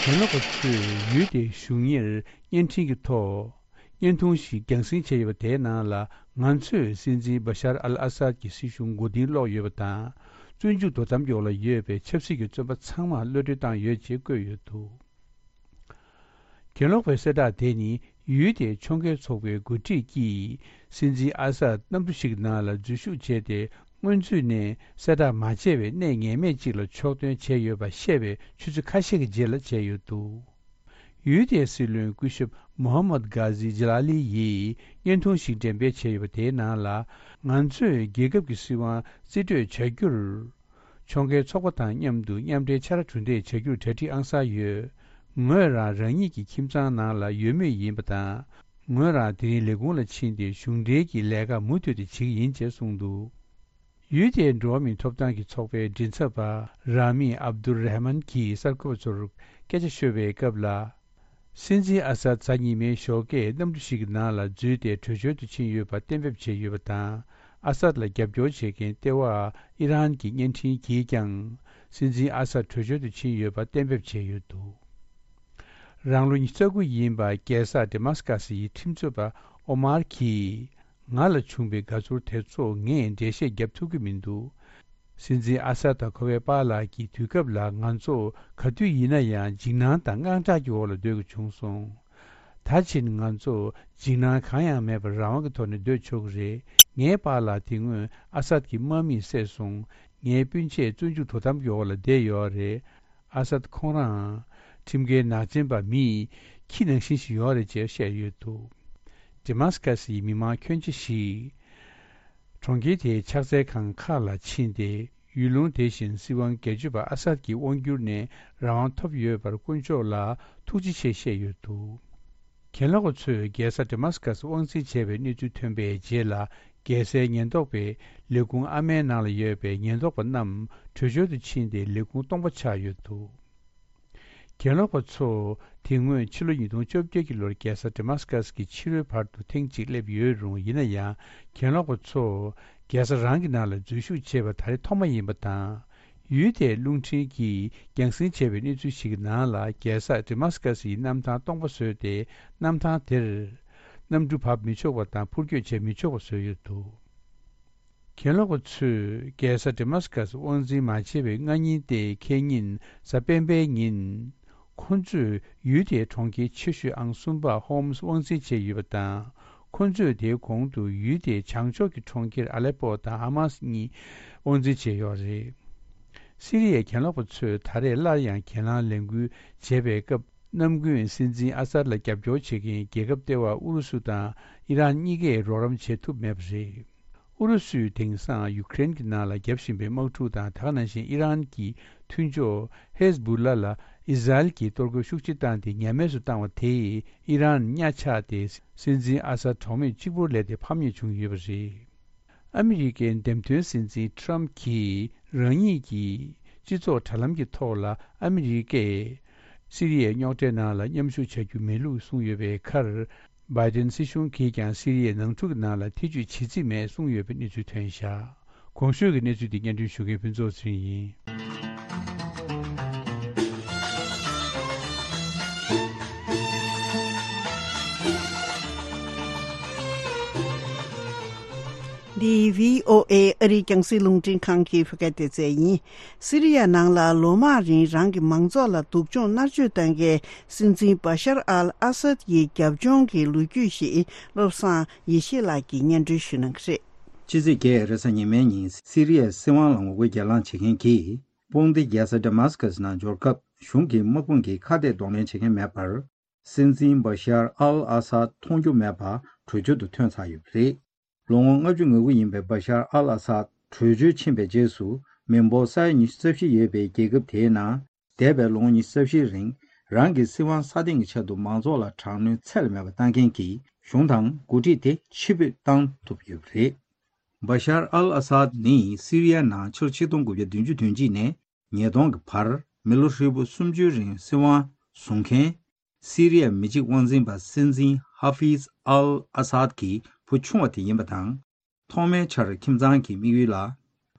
གྱེན་ལོག་པ་ཚོས་ཡུལ་དེའི་གཞུང་གཉེར་བརྙན་འཕྲིན་གྱི་ཐོག་བརྙན་ཐུང་ཞིག་རྒྱང་སྲིང་བྱས་ཡོད་པ་དེའི་ནང་ལ། ང་ཚོས་སྲིད་འཛིན་བྷ་ཤར་ཨལ་ཨ་སཱད་ཀྱི་སྲིད་གཞུང་མགོ་རྟིང་སློག་ཡོད་པ་དང་། བཙོན་འཇུག་དོ་དམ་གྱི་འོག་ལ་ཡོད་པའི་ཆབ་སྲིད་ཀྱི་བཙོན་པ་ཚང་མར་གློད་གྲོལ་བཏང་ཡོད་ཅེས་བཀོད་ཡོད་འདུག་གྱེན་ལོག་པའི་གསལ་བསྒྲགས་དེ་ནི་ཡུལ་དེའི་ཕྱོགས་འགལ་ཚོགས་པའི་འགོ་ཁྲིད་ཀྱིས་སྲིད་འཛིན་ཨ་སཱད་གནམ་གྲུ་ཞིག་གི་ནང་ལ་འཛུལ་ཞུགས་བྱས་ཏེ། སྔོན་ཚུད་ནས་གསལ་བསྒྲགས་མ་བྱས་པའི་གནས་ངེས་མེད་ཅིག་ལ་ཕྱོགས་ཐོན་བྱས་ཡོད་པ་བཤད་པའི་ཆུ་ཚོད་ཁ་ཤས་ཀྱི་རྗེས་ལ་བྱས་ཡོད་འདུག་ཡུལ་དེའི་སྲིད་བློན་སྐུ་ཞབས་མོ་ཧམ་མད་གྷ་ཟི་ཇི་ལ་ལི་ཡིས་བརྙན་ཐུང་ཞིག་འགྲེམས་སྤེལ་བྱས་ཡོད་པ་དེའི་ནང་ལ། ང་ཚོས་རྒྱལ་ཁབ་ཀྱི་སྲིད་དབང་རྩིས་སྤྲོད་བྱ་རྒྱུར། ཕྱོགས་འགལ་ཚོགས་པ་དང་མཉམ་དུ་མཉམ་འབྲེལ་ཕྱག་ར་གྲུ་འདེགས་བྱ་རྒྱུར་གྲ་སྒྲིག་ཨང་གསར་ཡོད། ངོས་རང་རང་ཉིད་ཀྱི་ཁྱིམ་ཚང་ནང་ལ་ཡོད་མུས་ཡིན་པ་དང་། ངོས་རང་དེ་རིང་ལས་ཁུངས་ལ་ཕྱིན་ཏེ། གཞུང་འབྲེལ་གྱི་ལས་ཀ་མུ་མཐུད་དུ་བྱེད་ཀྱི་ཡིན་ཅེས་གསུངས་འདུག་ཡུལ་དེའི་འགྲོ་བ་མིའི་ཐོབ་ཐང་གི་ཚོགས་པའི་མགྲིན་ཚབ་པ་ར་མི་ཨབ་དུར་རེ་མན་གྱིས་གསར་འགོད་པ་ཚོར་སྐད་ཆ་ཤོད་པའི་སྐབས་ལ། སྲིད་འཛིན་ཨ་སཱད་གཟའ་ཉི་མའི་ཞོགས་ཀས་གནམ་གྲུ་ཞིག་གི་ནང་ལ་འཛུལ་ཏེ། བྲོས་བྱོལ་དུ་ཕྱིན་ཡོད་པ་གཏན་འབེབས་བྱས་ཡོད་པ་དང་། ཨ་སཱད་ལ་རྒྱབ་སྐྱོར་བྱེད་མཁན་ལྟེ་བ་ཨི་རན་གྱི་བརྙན་འཕྲིན་གྱིས་ཀྱང་། སྲིད་འཛིན་ཨ་སཱད་བྲོས་བྱོལ་དུ་ཕྱིན་ཡོད་པ་གཏན་འབེབས་བྱས་ཡོད་འདུག་རང་ལོ་ཉི་ཤུ་རྩ་དགུ་ཡིན་པ། རྒྱལ་ས་ཌི་མཱ་སི་ཀ་སི་ཡི་ཁྲིམས་རྩོད་པ་ཨོ་མར་གྱིས། ང་ལ་བྱུང་བའི་དགའ་ཚོར་དེ་ཚོ་ངས་འགྲེལ་བཤད་བརྒྱབ་ཐུབ་ཀྱི་མི་འདུག་སྲིད་འཛིན་ཨ་སཱད་དང་ཁོ་པའི་པཱ་ལགས་ཀྱིས་དུས་སྐབས་ལ་ང་ཚོ་ག་དུས་ཡིན་ན་ཡང་འཇིགས་སྣང་དང་དངངས་སྐྲག་གི་འོག་ལ་སྡོད་དགོས་བྱུང་སོང་། ད་ཕྱིན་ང་ཚོ་འཇིགས་སྣང་གང་ཡང་མེད་པར་རང་དབང་གི་ཐོག་ནས་སྡོད་ཆོག་གི་རེད། ངའི་པཱ་ལགས་དེ་སྔོན་ཨ་སཱད་ཀྱི་དམག་མིས་བསད་སོང་། ངའི་སྤུན་མཆེད་བཙོན་འཇུག་དོ་དམ་གྱི་འོག་ལ་བསྡད་ཡོད་རེད། ཨ་སཱད་ཁོང་རང་ཁྲིམས་འགལ་ནག་ཅན་པ་མིའི་ཁྱི་ནང་བཞིན་ཞིག་ཡོད་རེད་ཅེས་བཤད་ཡོད་འདུག་ཌི་མཱ་སི་ཀ་སི་ཡི་མི་མང་ཁྱོན་ཆེ་ཞིག་གྲོང་ཁྱེར་དེའི་ཕྱག་འཚལ་ཁང་ཁག་ལ་ཕྱིན་ཏེ། ཡུལ་ལུང་དེ་བཞིན་སྲིད་དབང་སྒེར་གཅོད་པ་ཨ་སཱད་ཀྱི་དབང་སྒྱུར་ནས་རང་དབང་ཐོབ་ཡོད་པར་དཀོན་མཆོག་ལ་ཐུགས་རྗེ་ཆེ་བཤད་ཡོད་འདུག་གྱེན་ལོག་པ་ཚོས་རྒྱལ་ས་ཌི་མཱ་སི་ཀ་སི་དབང་འཛིན་བྱས་པའི་གནས་ཚུལ་ཐོན་པའི་རྗེས་ལ། རྒྱལ་སའི་ཉེན་རྟོག་པས་ལས་ཁུངས་ཨ་མའི་ནང་ལ་ཡོད་པའི་ཉེན་རྟོག་པ་རྣམས་བྲོས་བྱོལ་དུ་ཕྱིན་ཏེ། ལས་ཁུངས་སྟོང་པ་ཆགས་ཡོད་འདུག་གྱེན་ལོག་པ་ཚོ་དེ་སྔོན་ཕྱི་ལོ་ཉིས་སྟོང་བཅོ་བརྒྱད་ཀྱི་ལོར་རྒྱལ་ས་ཌི་མཱ་སི་ཀ་སི་གི་ཕྱི་རོལ་བར་དུ་ཐེངས་གཅིག་སླེབས་ཡོད་རུང་། ཡིན་ན་ཡང་། གྱེན་ལོག་པ་ཚོ་རྒྱལ་ས་རང་གི་ནང་ལ་འཛུལ་ཞུགས་བྱས་པ་ད་རེས་ཐོག་མ་ཡིན་པ་དང་། ཡུལ་དེའི་རླུང་འཕྲིན་གྱིས་རྒྱང་སྲིང་བྱས་པའི་གནས་ཚུལ་ཞིག་གི་ནང་ལ། རྒྱལ་ས་ཌི་མཱ་སི་ཀ་སི་ཡི་གནམ་ཐང་སྟོང་པ་བཟོས་ཏེ། གནམ་ཐང་དེར་གནམ་གྲུ་བབས་མི་ཆོག་པ་དང་འཕུར་སྐྱོད་བྱེད་མི་ཆོག་པ་བཟོས་ཡོད་འདུག་གྱེན་ལོག་པ་ཚོས་རྒྱལ་ས་ཌི་མཱ་སི་ཀ་སི་དབང་འཛིན་མ་བྱས་པའི་སྔ་ཉིན་ཏེ། ཁེ་ཉིན་གཟའ་སྤེན་པའི་ཉིན། ཁོ་ཚོས་ཡུལ་དེའི་གྲོང་ཁྱེར་ཆེ་ཤོས་ཨང་གསུམ་པ་ཧོམ་སི་དབང་འཛིན་བྱས་ཡོད་པ་དང་། ཁོ་ཚོས་དེའི་གོང་དུ་ཡུལ་དེའི་བྱང་ཕྱོགས་ཀྱི་གྲོང་ཁྱེར་ཨ་ལེ་པོ་དང་ཧ་མཱ་སི་གཉིས་དབང་འཛིན་བྱས་ཡོད་རེད། སི་རི་ཡའི་གྱེན་ལོག་པ་ཚོས་ད་རེས་སླར་ཡང་གྱེན་ལངས་ལས་འགུལ་བྱས་པའི་སྐབས། གནམ་དགུན་སྲིད་འཛིན་ཨ་སཱད་ལ་རྒྱབ་སྐྱོར་བྱེད་མཁན་རྒྱལ་ཁབ་ལྟེ་བ་ཨུ་རུ་སུ་དང་ཨི་རན་གཉིས་ཀས་རོགས་རམ་བྱེད་ཐུབ་མེད་པ་རེད། ཨུ་རུ་སུས་དེང་སང་ཡུ་ཀེ་རེན་གྱི་ནང་ལ་བརྒྱབ་བཞིན་པའི་དམག་འཁྲུག་དང་། དེ་ག་ནང་བཞིན་ཨི་རན་གྱི་མཐུན་ཕྱོགས་ཧེ་ཟ་བུ་ལ་ལ་ཨི་ཟ་རེལ་གྱིས་གཏོར་རྒོལ་ཤུགས་ཆེ་བཏང་སྟེ་ཉམས་དམས་སུ་བཏང་བ་དེས་ཨི་རན་གཉའ་ཆག་སྟེ། སྲིད་འཛིན་ཨ་སཱད་གྲོགས་མེད་གཅིག་པུར་ལས་ཏེ་ཕམ་ཉེས་བྱུང་ཡོད་པ་རེད། ཨ་མི་རི་ཀའི་འདེམས་ཐོན་སྲིད་འཛིན་ཊམ་གྱིས་རང་ཉིད་ཀྱི་སྤྱི་ཚོགས་དྲ་ལམ་གྱི་ཐོག་ལ། ཨ་མི་རི་ཀས་སི་རི་ཡའི་རྙོག་དྲའི་ནང་ལ་མཉམ་ཞུགས་བྱ་རྒྱུ་མེད་ལུགས་གསུངས་ཡོད་པའི་ཁར། བྷའི་ཏིན་སྲིད་གཞུང་གིས་ཀྱང་སི་རི་ཡའི་ནང་འཁྲུག་གི་ནང་ལ་ཐེ་ཇུས་བྱེད་རྩིས་མེད་གསུངས་ཡོད་པའི་གནས་ཚུལ་ཐོན་བཞག་གོང་ཞུས་ཀྱི་གནས་ཚུལ་འདི་སྙན་སྒྲོན་ཞུ་མཁན་ཕུན་ཚོགས་ཚེ་རིང་ཡིན། འདི་བྷི་ཨོ་ཨེ་ཨ་རིའི་རྒྱང་སྲིང་རླུང་འཕྲིན་ཁང་གི་བོད་སྐད་སྡེ་ཚན་ཡིན། སི་རི་ཡ་ནང་ལ་ལོ་མང་རིང་རང་གི་མང་ཚོགས་ལ་སྡུག་སྦྱོང་མནར་གཅོད་བཏང་མཁན་སྲིད་འཛིན་བ་ཤར་ཨལ་ཨ་སད་ཀྱི་རྒྱབ་ལྗོངས་ཀྱི་ལོ་རྒྱུས་ཤིག་བློ་བཟང་ཡེ་ཤེས་ལགས་ཀྱིས་སྙན་སྒྲོན་ཞུ་གནང་གི་རེད། ཕྱི་ཚེས་བརྒྱད་རེས་གཟའ་ཉི་མའི་ཉིན་སི་རི་ཡའི་སྲིད་དབང་ལ་ངོ་རྒོལ་གྱེན་ལངས་བྱེད་མཁན་གྱི་དཔུང་སྡེ་རྒྱལ་ས་ཌེ་མཱ་སི་ཀ་སི་ནང་འབྱོར་སྐབས་གཞུང་གི་དམག་དཔུང་གིས་ཁ་གཏད་གདོང་ལེན་བྱེད་མཁན་མེད་པར། སྲིད་འཛིན་བ་ཤར་ཨལ་ཨ་སཱད་མཐོང་རྒྱུ་མེད་པ་བྲོས་བྱོལ་དུ་ཐོན་ཚར་ཡོད་པ་རེད། ལོ་ངོ་ལྔ་བཅུ་ང་དགུ་ཡིན་པའི་བ་ཤར་ཨལ་ཨ་སཱད་བྲོས་བྱོལ་ཕྱིན་པའི་རྗེས་སུ། མི་འབོར་ས་ཡ་ཉི་ཤུ་རྩ་བཞི་ཡོད་པའི་རྒྱལ་ཁབ་དེའི་ནང་། འདས་པའི་ལོ་ངོ་ཉི་ཤུ་རྩ་བཞིའི་རིང་། རང་གི་སྲིད་དབང་སྲ་བརྟན་གྱི་ཆེད་དུ་མང་ཚོགས་ལ་དྲག་གནོན་ཚད་ལས་མེད་པ་བཏང་མཁན་གྱི་གཞུང་དང་འགོ་ཁྲིད་དེ་ཕྱིར་འབུད་བཏང་ཐུབ་ཡོད་པ་རེད། བ་ཤར་ཨལ་ཨ་སཱད་ནི་སི་རི་ཡ་ནང་ཕྱི་ལོ་ཆིག་སྟོང་དགུ་བརྒྱ་བདུན་ཅུ་དོན་གཅིག་ནས་ཉིས་སྟོང་གི་བར་མི་ལོ་ཧྲིལ་པོ་སུམ་ཅུའི་རིང་སྲིད་དབང་བཟུང་མཁན། སི་རི་ཡའི་མི་གཅིག་དབང་འཛིན་པ་སྲིད་འཛིན་ཧ་ཧྥིཛ་ཨལ་ཨ་སཱད་ཀྱི་བུ་ཆུང་བ་དེ་ཡིན་པ་དང་། ཐོག་མའི་ཆར་ཁྱིམ་ཚང་གི་དམིགས་ཡུལ་ལ།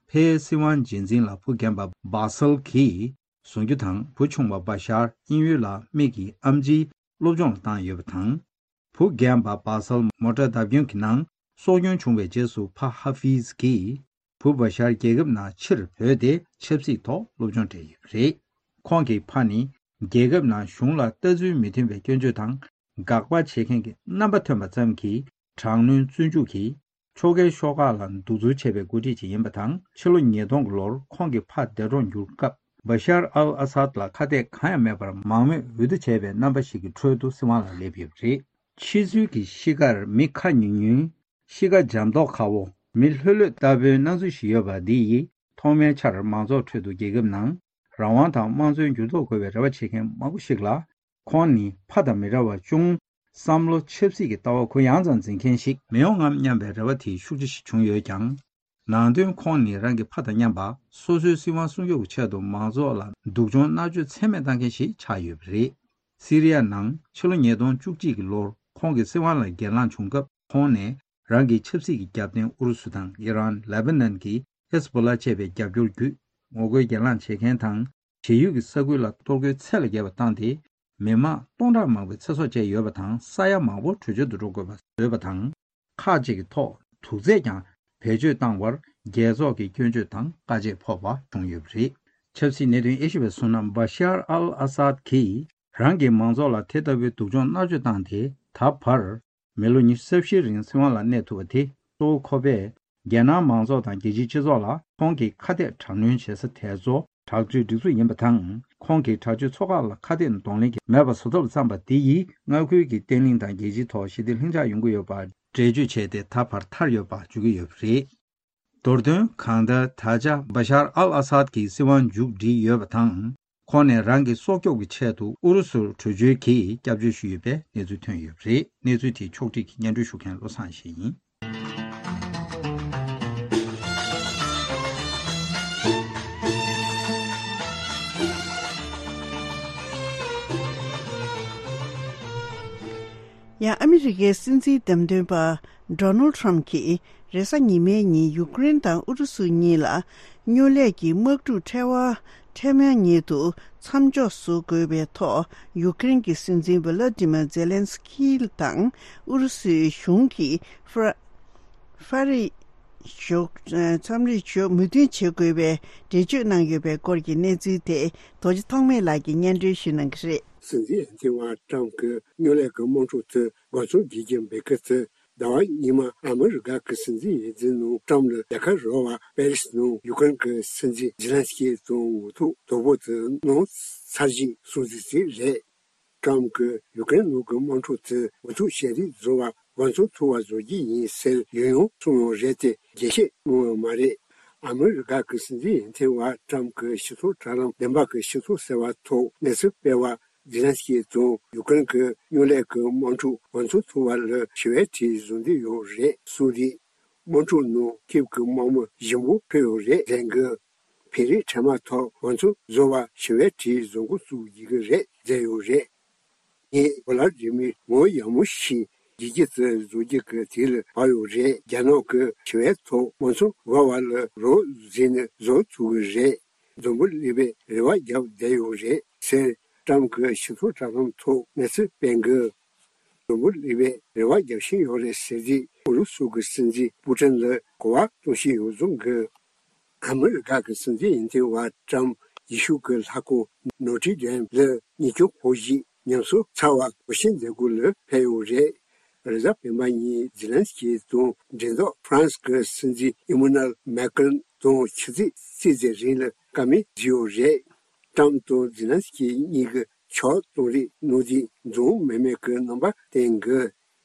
ཕའི་སྲིད་དབང་རྗེས་འཛིན་ལ་བུ་རྒན་པ་བྷ་སལ་གྱིས་བཟུང་རྒྱུ་དང་། བུ་ཆུང་བ་བ་ཤར་དབྱིན་ཡུལ་ལ་མིག་གི་ཨེམ་ཆིའི་སློབ་སྦྱོང་ལ་བཏང་ཡོད་པ་དང་། བུ་རྒན་པ་བྷ་སལ་མོ་ཊ་བརྡབ་སྐྱོན་གྱི་ནང་སྲོག་སྐྱོན་བྱུང་བའི་རྗེས་སུ། ཕ་ཧ་ཧྥིཛ་གྱིས་བུ་བ་ཤར་རྒྱལ་ཁབ་ནང་ཕྱིར་བོས་ཏེ་ཆབ་སྲིད་ཐོག་སློབ་སྦྱོང་སྤྲད་ཡོད་པ་རེད། ཁོང་གི་ཕ་ནི་རྒྱལ་ཁབ་ནང་གཞུང་ལ་ལྟ་ཚུལ་མི་མཐུན་པའི་སྐྱོན་བརྗོད་དང་། དགག་པ་བྱེད་མཁན་གྱི་རྣམ་པ་ཐོན་པ་ཙམ་གྱིས་དྲག་གནོན་བཙོན་འཇུག་གིས། ཕྱོགས་འགལ་ཤོག་ཁག་ལ་གདུག་རྩུབ་ཆེ་བའི་འགོ་ཁྲིད་ཅིག་ཡིན་པ་དང་། ཕྱི་ལོ་ཉིས་སྟོང་གི་ལོར་ཁོང་གི་ཕ་འདས་གྲོངས་གྱུར་སྐབས། བ་ཤར་ཨལ་ཨ་སཱད་ལ་ཁ་གཏད་གང་ཡང་མེད་པར་མང་མོས་འོས་བསྡུ་བྱས་པའི་རྣམ་པ་ཞིག་གི་ཁྲོད་དུ་སྲིད་དབང་ལ་སླེབས་ཡོད་པ་རེད། ཕྱི་ཚུལ་གྱི་གཤིས་ཀར་མི་ཁ་ཉུང་ཉུང་། གཤིས་ཀ་འཇམ་མདོག་ཁ་བོ། མི་ལྷོད་ལྷོད་ལྟ་བུའི་སྣང་ཚུལ་ཞིག་ཡོད་པ་འདི་ཡིས། ཐོག་མའི་ཆར་མང་ཚོགས་ཁྲོད་དུ་རྒྱལ་ཁབ་ནང་རང་དབང་དང་དམངས་གཙོའི་འགྱུར་ལྡོག་དགོས་པའི་རེ་བ་བྱེད་མཁན་མང་པོ་ཞིག་ལ། ཁོང་ནི་ཕ་དང་མི་འདྲ་བར་ཅུང་བསམ་བློ་ཆབ་སྲིད་ཀྱི་ལྟ་བ་གུ་ཡངས་ཙམ་འཛིན་མཁན་ཞིག་མི་ཡོང་ངམ་སྙམ་པའི་རེ་བ་དེ་ཤུགས་ཆེ་ཞིག་བྱུང་ཡོད་ཀྱང་། ནང་དོན་ཁོང་ནི་རང་གི་ཕ་དང་མཉམ་པ་སོ་སོའི་སྲིད་དབང་སྲུང་སྐྱོབ་ཀྱི་ཆེད་དུ་མང་ཚོགས་ལ་སྡུག་སྦྱོང་མནར་གཅོད་ཚད་མེད་བཏང་མཁན་ཞིག་ཆགས་ཡོད་པ་རེད། སི་རི་ཡ་ནང་ཕྱི་ལོ་ཉིས་སྟོང་བཅུ་གཅིག་གི་ལོར་ཁོང་གི་སྲིད་དབང་ལ་གྱེན་ལངས་བྱུང་སྐབས། ཁོང་ནས་རང་གི་ཆབ་སྲིད་ཀྱི་རྒྱབ་རྟེན་ཨུ་རུ་སུ་དང་ཨི་རན། ལེ་བྷ་ནན་གྱི་ཧེ་ཟ་བྷོ་ལ་བཅས་པའི་རྒྱབ་སྐྱོར་བརྒྱུད། ངོ་རྒོལ་གྱེན་ལངས་བྱེད་མཁན་དང་། བྱེས་ཡུལ་གྱི་ས་ཁུལ་ལ་གཏོར་རྒོལ་ཚད་ལས་བརྒལ་བ་བཏང་སྟེ། མི་མང་སྟོང་ཕྲག་མང་པོའི་ཚེ་སྲོག་བཅད་ཡོད་པ་དང་། ས་ཡ་མང་པོ་བྲོས་བྱོལ་དུ་འགྲོ་དགོས་པ་བཟོས་པ་དང་། ཁག་ཅིག་གི་ཐོག་དུག་རྫས་ཀྱང་བེད་སྤྱོད་བཏང་བར་རྒྱལ་ཚོགས་ཀྱི་སྐྱོན་བརྗོད་དང་དཀའ་སྤྱད་ཕོག་པ་བྱུང་ཡོད་པ་རེད། ཆབ་སྲིད་གནད་དོན་དབྱེ་ཞིབ་པས་གསུངས་ན། བ་ཤར་ཨལ་ཨ་སཱད་ཀྱིས་རང་གི་མང་ཚོགས་ལ་དེ་ལྟ་བུའི་སྡུག་སྦྱོང་མནར་གཅོད་བཏང་སྟེ། ད་བར་མི་ལོ་ཉི་ཤུ་རྩ་བཞིའི་རིང་སྲིད་དབང་ལ་གནས་ཐུབ་པ་དེ། གཙོ་བོ་ཁོ་པས་རྒྱལ་ནང་མང་ཚོགས་དང་རྒྱལ་སྤྱིའི་སྤྱི་ཚོགས་ལ་ཁོང་གིས་ཁ་གཏད་དྲག་གནོན་བྱེད་ས་དེ་ཚོ་དྲག་སྤྱོད་སྒྲིག་འཛུགས་ཡིན་པ་དང་། ཁོང་གིས་དྲག་སྤྱོད་ཚོགས་ཁག་ལ་ཁ་གཏད་གདོང་ལེན་གྱིས་མེད་པ་བཟོ་ཐབས་བརྩམས་པ་དེ་ཡིས་མངའ་ཁུལ་གྱི་བརྟན་ལྷིང་དང་རྒྱལ་སྤྱིའི་ཐོག་ཞི་བདེ་ལྷིང་འཇགས་ཡོང་གི་ཡོད་པ་འགྲེལ་བརྗོད་བྱས་ཏེ། ད་བར་ཐར་ཡོད་པ་བརྗོད་ཀྱི་ཡོད་པ་རེད། མདོར་དོན། གང་ལྟར། ད་ཆ་བ་ཤར་ཨལ་ཨ་སཱད་ཀྱི་སྲིད་དབང་མཇུག་བསྒྲིལ་ཡོད་པ་དང་། ཁོང་ནས་རང་གི་སྲོག་སྐྱོབ་ཀྱི་ཆེད་དུ་ཨུ་རུ་སུར་བྲོས་བྱོལ་གྱིས་སྐྱབས་བཅོལ་ཞུས་ཡོད་པའི་གནས་ཚུལ་ཐོན་ཡོད་པ་རེད། གནས་ཚུལ་དེ་ཕྱོགས་སྒྲིག་གིས་སྙན་སྒྲོན་ཞུ་མཁན་བློ་བཟང་ཡེ་ཤེས་ཡིན། ཡང་ཨ་མི་རི་ཀའི་སྲིད་འཛིན་བདམས་ཐོན་པ་ཌོ་ནལ་ཊམ་གྱིས་རེས་གཟའ་ཉི་མའི་ཉིན་ཡུཀ་རེན་དང་ཨུ་རུ་སུ་གཉིས་ལ་སྨྱོ་ལས་ཀྱི་དམག་འཁྲུག་ཕྲལ་བ་ཕྲལ་མོལ་ཉིད་དུ་མཚམས་འཇོག་བཟོ་དགོས་པའི་ཐོག་ཡུཀ་རེན་གྱི་སྲིད་འཛིན་ཝི་ལ་ཏི་མ་ཛེ་ལན་སི་ཁི་དང་ཨུ་རུ་སུའི་གཞུང་གིས་ཧྥ་ཧྥ་རི་ཞོག་མཚམས་རེ་ཞོག་མོས་མཐུན་བྱེད་དགོས་པའི་འགྲེལ་བརྗོད་གནང་ཡོད་པའི་སྐོར་གྱི་གནས་ཚུལ་དེ་རྡོ་རྗེ་ཐོགས་མེད་ལགས་ཀྱིས་སྙན་སྒྲོན་ཞུ་གནང་གི་རེད། སྲིད་འཛིན་ཨན་ཐི་ཝ་ཀྲམ་གྱི་སྨྱོ་ལས་ཀྱི་དམག་འཁྲུག་དེ་འགོ་ཚུགས་རྒྱུ་རྐྱེན་འབད་གི་ཚེ། ཟླ་བ་སྔོན་མ་ཨ་མི་རི་ཀ་གི་སྲིད་འཛིན་ཡིག་ཚང་ནང་ཀྲམ་ལ་ལས་ཀ་རོལ་བ་པེ་རིས་ནང་ཡུཀ་རེན་གྱི་སྲིད་འཛིན་ཛེ་ལན་སི་ཀི་དང་འོས་ཐོག་དོ་པོ་དེ་གནང་ཚར་རྗེས་གསུངས་ཚུལ་ཞིག་རེད། ཀྲམ་གྱིས་ཡུཀ་རེན་ནང་གི་དམག་འཁྲུག་དེ་འགོ་ཐུག་བྱས་རིགས་བཟོ་བ་འགོ་ཚུགས་ཐུབ་པ་བཟོ་རྒྱུ་ཡིན་ཟེར་ཡང་ཡང་གསུངས་ཡོད་རེད་དེ། རྒྱས་བཤད་གནང་ཡོད་མ་རེད། ཨ་མི་རི་ཀ་གི་སྲིད་འཛིན་ཡིན་ཐེ་བ་ཀྲམ་གྱི་ཕྱི་སོ་དྲ་ལམ་བདེན་པ་གི་སྤྱི་ཚོགས་ཟེར་བ་ཐོག་གནས་ཚུལ་སྤེལ་བ། ཛེ་ལན་སི་ཀི་དང་ཡུཀ་རེན་གྱི་སྨྱོ་ལས་ཀྱི་དམག་འཁྲུག་འགོ་ཚུགས་ཐུབ་པ་ལ་ཞི་བའི་གྲས་བཟོ་འདོད་ཡོད་རེད་གསུངས་རིགས། དམག་འཁྲུག་ནང་ཁྱེད་ཀྱི་དམག་མི་ཞིམ་པོ་ཕུད་ཡོད་རེད་ཟེར་གི། བོད་རིགས་འཕྲལ་མ་ཐོག་ང་ཚོ་བཟོ་བ་ཞི་བའི་གྲས་བཟོ་འགོ་བཙུགས་ཡི་གི་རེད་ཟེར་ཡོད་རེད། ངས་ཝ་ལ་ཏི་མིར་ངོ་ཡག་མོ་ཞིག་བྱེད་ཀྱི་ཚེ་བཟོ་རྒྱུ་གི་དུས་ལ་བབ་ཡོད་རེད། རྒྱ་ནག་གི་ཞི་བའི་ཐོག་ང་ཚོ་བ་བ་ལ་རོགས་བཟོས་ནས་བཟོ་ཐུབ་གི་རེད། འཛམ་བུ་གླིང་པས་རེ་བ་བརྒྱབ་བསྡད་ཡོད་རེད་ཟེར་ཀྲམ་གྱི་ཕྱི་སོ་དྲ་ལམ་ཐོག་གནས་ཚུལ་སྤེལ་གི། འཛམ་བུ་གླིང་པས་རེ་བ་རྒྱབ་བཞིན་ཡོད་རེད་ཟེར་རྗེས། ཨུ་རུ་སུ་གི་སྲིད་འཛིན་པུ་ཏིན་ལ་གོ་བ་གཏོང་བཞིན་ཡོད་གསུང་གི། ཨ་མི་རི་ཀ་གི་སྲིད་འཛིན་ཡོན་ཏན་བ་ཀྲམ་ཡེ་ཤུ་གི་ལྷ་ཁང་ནོ་ཏྲི་ཌེམ་ལ་ཉིན་གུང་ཕོ་བཞི་ཉམས་གསོ་ཚར་བ་གོ་ཤེས་མཛད་སྒོ་ལ་ཕེབས་ཡོད་རེད། རེས་གཟའ་སྤེན་པ་ཉིན་ཛེ་ལན་སི་ཀི་དང་འབྲེལ་ཐོག་ཧྥ་རན་སི་གི་སྲིད་འཛིན་ཨི་མུ་ནལ་མེ་ཀྲོན་དང་ཆུ་ཚོད་རྩིས་ཙམ་རིང་ལ་བཀའ་མོལ་བརྒྱབ་ཡོད་རེད། ཀྲམ་དང་ཛེ་ལན་སི་ཀི་གཉིས་ཀྱི་ཕྱོགས་གཏོང་རེས་གནང་རྗེས་འཛོམས་མེད་མེད་ཀྱི་རྣམ་པ་བསྟན་གི།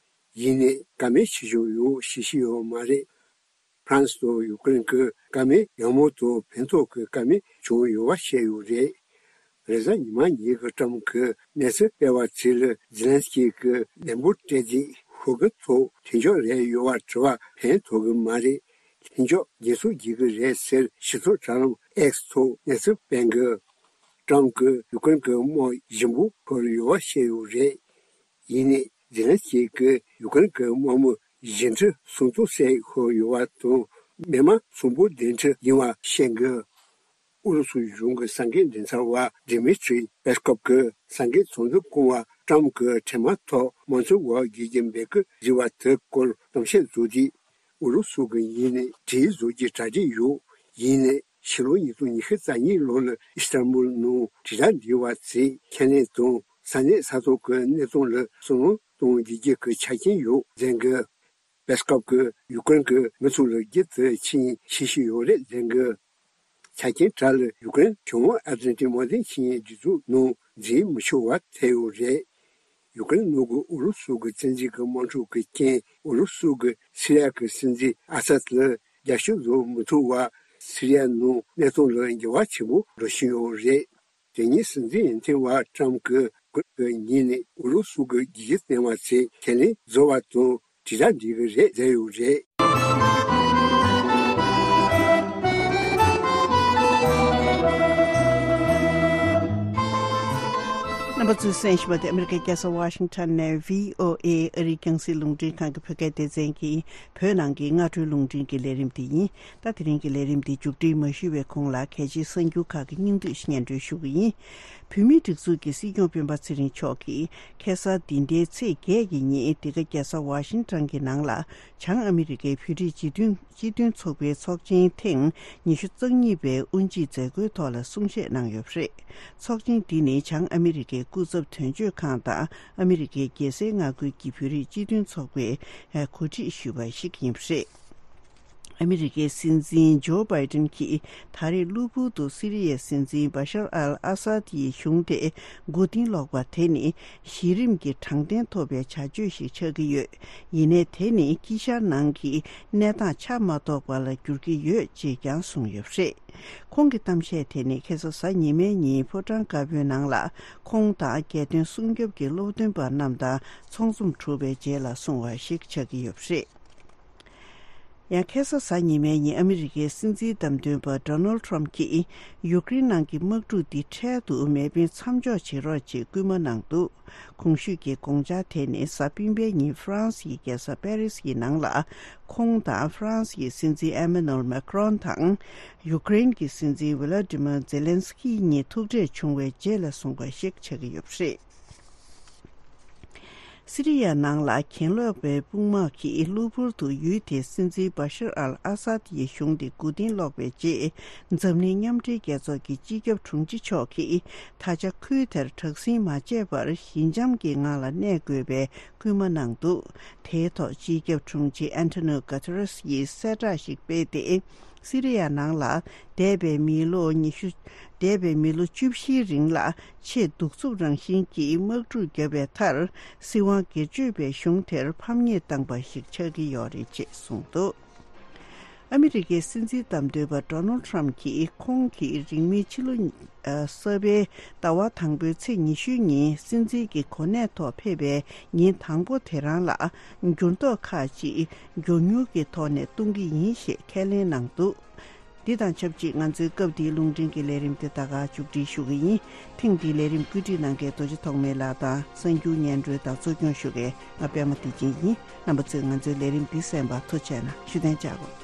ཡིན་ནའི་བཀའ་མོལ་བྱེད་བཞིན་ཡོད་ཞེས་བཤད་ཡོད་མ་རེད། ཧྥ་རན་སི་དང་ཡུ་ཀེ་རེན་གྱི་བཀའ་མོལ་ཡག་མོ་དང་ཕན་ཐོགས་ཀྱི་བཀའ་མོལ་བྱུང་ཡོད་པ་བཤད་ཡོད་རེད། རེས་གཟའ་ཉི་མ་ཉིན་གྱི་ཀྲམ་གྱིས་གནས་ཚུལ་སྤེལ་བ་ཚོ་ལ་ཛེ་ལན་སི་ཀི་གིས་ལན་འབོར་སྤྲད་རྗེས་ཤོག་གུ་ཐོག་མཐུན་ཕྱོགས་རེད་ཡོད་པ་དྲི་བ་ཕན་ཐོགས་ཀྱི་མ་རེད། མཐུན་ཕྱོགས་རྒྱལ་སྲུང་བྱེད་ཀྱི་རེད་ཟེར་ཞི་ཚོགས་དྲ་ལམ་ཨེག་སི་ཐོག་གནས་ཚུལ་སྤེལ་གི། ཀྲམ་གྱིས་ཡུ་ཀེ་རེན་གྱི་དམག་ཞིམ་པོ་ཤོར་ཡོད་པ་བཤད་ཡོད་རེད། ཡིན་ནའི་ཛེ་ལན་སི་ཀི་གིས་ཡུ་ཀེ་རེན་གྱི་དམག་མི་བཞི་ཁྲི་སུམ་སྟོང་ཟིན་ཡོད་པ་དང་མི་དམངས་སུམ་སྟོང་བདུན་ཁྲི་ཡིན་པ་བཤད་འདུག་ཨུ་རུ་སུ་གཞུང་གི་གསར་འགོད་མགྲིན་ཚབ་པ་ཌི་མི་ཏྲི་པེ་སི་ཀོབ་ཀྱིས་གསར་འགོད་ཚོགས་འདུ་སྐོང་བར་ཀྲམ་གྱིས་འཕྲལ་མ་ཐོག་དམངས་གཙོའི་འོག་བསྒྱུར་རྒྱུ་འབོད་སྐུལ་བྱས་པ་དེའི་སྐོར་གཏམ་བཤད་བཟོ་དུས། ཨུ་རུ་སུ་གི་ཡིན་ནའི་གྲོས་བཟོ་རྒྱུ་གྲ་སྒྲིག་ཡོད། ཡིན་ནའི་ཕྱི་ལོ་ཉིས་སྟོང་ཉི་ཤུ་རྩ་གཉིས་ལོ་ལ་ཨི་སི་ཐན་བུལ་ནང་དྲིལ་བསྒྲགས་འབྲེལ་བ་ཚོས་ཁས་ལེན་དང་ས་གནས་ས་ཐོག་གི་གནས་སྟངས་ལ་བསམ་བློ་གཏོང་རྒྱུ་གི་ཆ་རྐྱེན་ཡོད་ཟེར་གི། པེ་སི་ཀོབ་ཀྱིས་ཡུ་ཀེ་རེན་གྱི་མི་ཚོ་ལ་རྒྱུན་དུ་ཆིངས་ཡིག་བཞེས་བཞིན་ཡོད་རེད་ཟེར་གི། ཆ་རྐྱེན་དག་ལ་ཡུ་ཀེ་རེན་བྱང་ཨ་ཏི་ལན་ཏིག་དམག་དོན་ཆིངས་ཡིག་སྒྲིག་འཛུགས་ནང་འཛུལ་མི་ཆོག་པ་ཐལ་ཡོད་རེད། ཡུ་ཀེ་རེན་ནང་གི་ཨུ་རུ་སུ་གི་བཙན་འཛུལ་གྱི་དམག་འཁྲུག་གི་རྐྱེན། ཨུ་རུ་སུ་གིས་སི་རི་ཡ་གི་སྲིད་འཛིན་ཨ་སད་ལ་རྒྱབ་སྐྱོར་བཟོ་མི་ཐུབ་པར། སི་རི་ཡ་ནང་གནས་སྟངས་ལ་འགྱུར་བ་ཆེན་པོ་འགྲོ་བཞིན་ཡོད་རེད། དེ་ཉིན་སྲིད་འཛིན་ཡོན་ཏན་བ་ཀྲམ་གྱིས་ཀུན་གྱི་ཉིན་ནས་ཨུ་རུ་སུ་གི་རྒྱལ་སྤྱིའི་བསྟན་པ་ཚོས་ཁས་ལེན་བཟོ་བ་དང་དྲིལ་བསྒྲགས་འབྲི་གི་རེད་ཟེར་ཡོད་རེད། རྣམ་པ་ཚོས་གསན་བཞིན་པ་དེ་ཨ་མི་རི་ཀའི་རྒྱལ་ས་ཝ་ཤིང་ཊོན་ནས་བྷི་ཨོ་ཨེ་ཨ་རིའི་རྒྱང་སྲིང་རླུང་འཕྲིན་ཁང་གི་བོད་སྐད་སྡེ་ཚན་གྱི་བོད་ནང་གི་སྔ་དྲོའི་རླུང་འཕྲིན་གྱི་ལས་རིམ་དེ་ཡིན། ད་དེ་རིང་གི་ལས་རིམ་འདི་མཇུག་སྒྲིལ་མ་ཞུས་པའི་གོང་ལ་གལ་ཆེའི་གསར་འགྱུར་ཁག་གི་སྙིང་བསྡུས་ཤིག་སྙན་སྒྲོན་ཞུ་གི་ཡིན། བོད་མིའི་སྒྲིག་འཛུགས་ཀྱི་སྲིད་སྐྱོང་སྤེན་པ་ཚེ་རིང་མཆོག་གིས་ཁ་སང་འདི་ཟླའི་ཚེས་བརྒྱད་ཀྱི་ཉིན་འདི་ག་རྒྱལ་ས་ཝ་ཤིང་ཊོན་གྱི་ནང་ལ་བྱང་ཨ་མི་རི་ཀའི་བོད་རིགས་སྤྱི་མཐུན་སྤྱི་མཐུན་ཚོགས་པའི་ཚོགས་ཆེན་ཐེངས་ཉི་ཤུ་རྩ་གཉིས་པའི་དབུ་འབྱེད་མཛད་སྒོའི་ཐོག་ལ་གསུང་བཤད་གནང་ཡོད་པ་རེད། ཚོགས་ཆེན་འདི་ནི་བྱང་ཨ་མི་རི་ཀའི་སྐུ་ཚབ་དོན་གཅོད་ཁང་དང་ཨ་མི་རི་ཀའི་རྒྱལ་སའི་མངའ་ཁུལ་གྱི་བོད་རིགས་སྤྱི་མཐུན་ཚོགས་པས་གོ་སྒྲིག་ཞུས་པ་ཞིག་ཡིན་པ་རེད། ཨ་མི་རི་ཀའི་སྲིད་འཛིན་ཇོ་བྷའི་ཏིན་གྱིས་ད་རེས་གློ་བུར་དུ་སི་རི་ཡའི་སྲིད་འཛིན་བྷ་ཤར་ཨལ་ཨ་སཱད་ཀྱི་གཞུང་དེ་མགོ་རྟིང་སློག་པ་དེ་ནི་གཞི་རིམ་གྱི་དྲང་བདེན་ཐོབ་པའི་བྱ་སྤྱོད་ཞིག་ཆགས་ཀྱི་ཡོད། ཡིན་ནའི་དེ་ནི་དཀྱིལ་ཤར་ནང་གི་གནས་སྟངས་ཆ་མ་རྟོགས་པ་ལ་འགྱུར་གྱི་ཡོད་ཅེས་ཀྱང་གསུངས་ཡོད་པ་རེད། ཁོང་གི་གཏམ་བཤད་དེ་ནི་ཁ་སང་གཟའ་ཉི་མའི་ཉིན་ཕོ་བྲང་དཀར་པོའི་ནང་ལ་ཁོང་དང་རྒྱལ་དོན་སྲུང་སྐྱོབ་ཀྱི་སློབ་སྟོན་པ་རྣམས་དང་ཚོགས་འཛོམས་གྲུབ་པའི་རྗེས་ལ་གསུངས་པ་ཞིག་ཆགས་ཀྱི་ཡོད་པ་རེད། ཡང་ཁ་སང་གཟའ་ཉི་མའི་ཉིན་ཨ་མི་རི་ཀའི་སྲིད་འཛིན་བདམས་ཐོན་པ་ཌོ་ནལ་ཌི་ཊརམ་ཕི་གྱིས་ཡུཀ་རེན་ནང་གི་དམག་འཁྲུག་འདི་འཕྲལ་དུ་མེ་འཕེན་མཚམས་འཇོག་བྱེད་རོགས་ཅེས་སྐུལ་མ་གནང་འདུག་གོང་ཞུས་ཀྱི་དགོངས་འཆར་དེ་ནི་གཟའ་སྤེན་པའི་ཉིན་ཧྥ་རན་སིའི་རྒྱལ་ས་པེ་རིས་ཀྱི་ནང་ལ་ཁོང་དང་ཧྥ་རན་སིའི་སྲིད་འཛིན་ཨེ་མ་ནུ་ཨེལ་མེ་ཀྲོན་དང་ཡུཀ་རེན་གྱི་སྲིད་འཛིན་ཝི་ལ་ཏི་མིར་ཛེ་ལན་སི་ཀི་གཉིས་ཐུག་འཕྲད་བྱུང་བའི་རྗེས་ལ་གསུངས་པ་ཞིག་ཆགས་ཀྱི་ཡོད་པ་རེད། སི་རི་ཡ་ནང་ལ་གྱེན་ལོག་པའི་དཔུང་དམག་གིས་གློ་བུར་དུ་ཡུལ་དེའི་སྲིད་འཛིན་བྷ་ཤར་ཨལ་ཨ་སཱད་ཀྱི་གཞུང་དེ་མགོ་རྟིང་སློག་པའི་རྗེས། འཛམ་གླིང་མཉམ་འབྲེལ་རྒྱལ་ཚོགས་ཀྱི་སྤྱི་ཁྱབ་དྲུང་ཆེ་མཆོག་གིས་ད་ཆ་ཁུལ་དེར་དྲག་ཟིང་མ་བྱས་པར་ཞི་འཇམ་གྱི་ངང་ལ་གནས་དགོས་པའི་སྐུལ་མ་གནང་འདུག་དེའི་ཐོག་སྤྱི་ཁྱབ་དྲུང་ཆེ་ཨན་ཐོ་ནིའོ་གྷ་ཐེ་རེས་ཡིས་གསལ་བསྒྲགས་ཤིག་སྤེལ་ཏེ། སི་རི་ཡ་ནང་ལ་འདས་པའི་མི་ལོ་ཉི་ཤུ། འདས་པའི་མི་ལོ་བཅུ་བཞིའི་རིང་ལ་ཆེས་གདུག་རྩུབ་རང་བཞིན་གྱི་དམག་འཁྲུག་བརྒྱབ་པའི་མཐར། སྲིད་དབང་སྒེར་གཅོད་པའི་གཞུང་དེར་ཕམ་ཉེས་བཏང་པ་ཞིག་ཆགས་ཀྱི་ཡོད་རེད་ཅེས་གསུངས་འདུག་ཨ་མི་རི་ཀའི་སྲིད་འཛིན་བདམས་ཐོན་པ་ཌོ་ནལ་ཌི་ཊརམ་གྱིས་ཁོང་གིས་རིང་མིན་ཕྱི་ལོ་ཨ་གསར་པའི་ཟླ་བ་དང་པོའི་ཚེས་ཉི་ཤུའི་ཉིན་སྲིད་འཛིན་གྱི་གོ་གནས་ཐོག་ཕེབས་པའི་ཉིན་དང་པོ་དེ་རང་ལ་འགྱུར་ལྡོག་ཁག་ཅིག་མགྱོགས་མྱུར་གྱི་ཐོག་ནས་གཏོང་གི་ཡིན་ཞེས་ཁས་ལེན་གནང་འདུག་འདི་དང་ཆབས་ཅིག་ང་ཚོའི་སྐབས་འདིའི་རླུང་འཕྲིན་གྱི་ལས་རིམ་དེ་ད་ག་མཇུག་སྒྲིལ་ཞུ་གི་ཡིན། ཐེངས་འདིའི་ལས་རིམ་བཀོད་སྒྲིག་གནང་མཁན་རྡོ་རྗེ་ཐོགས་མེད་ལགས་དང་གསར་འགྱུར་སྙན་སྒྲོན་དང་གཙོ་སྐྱོང་ཞུ་མཁན་ང་པད་མ་བདེ་ཆེན་ཡིན། རྣམ་པ་ཚོས་ང་ཚོའི་ལས་རིམ་འདི་གསན་པར་ཐུགས་རྗེ་གནང་། བཞུགས་གདན་འཇགས་དགོས།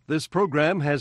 This program has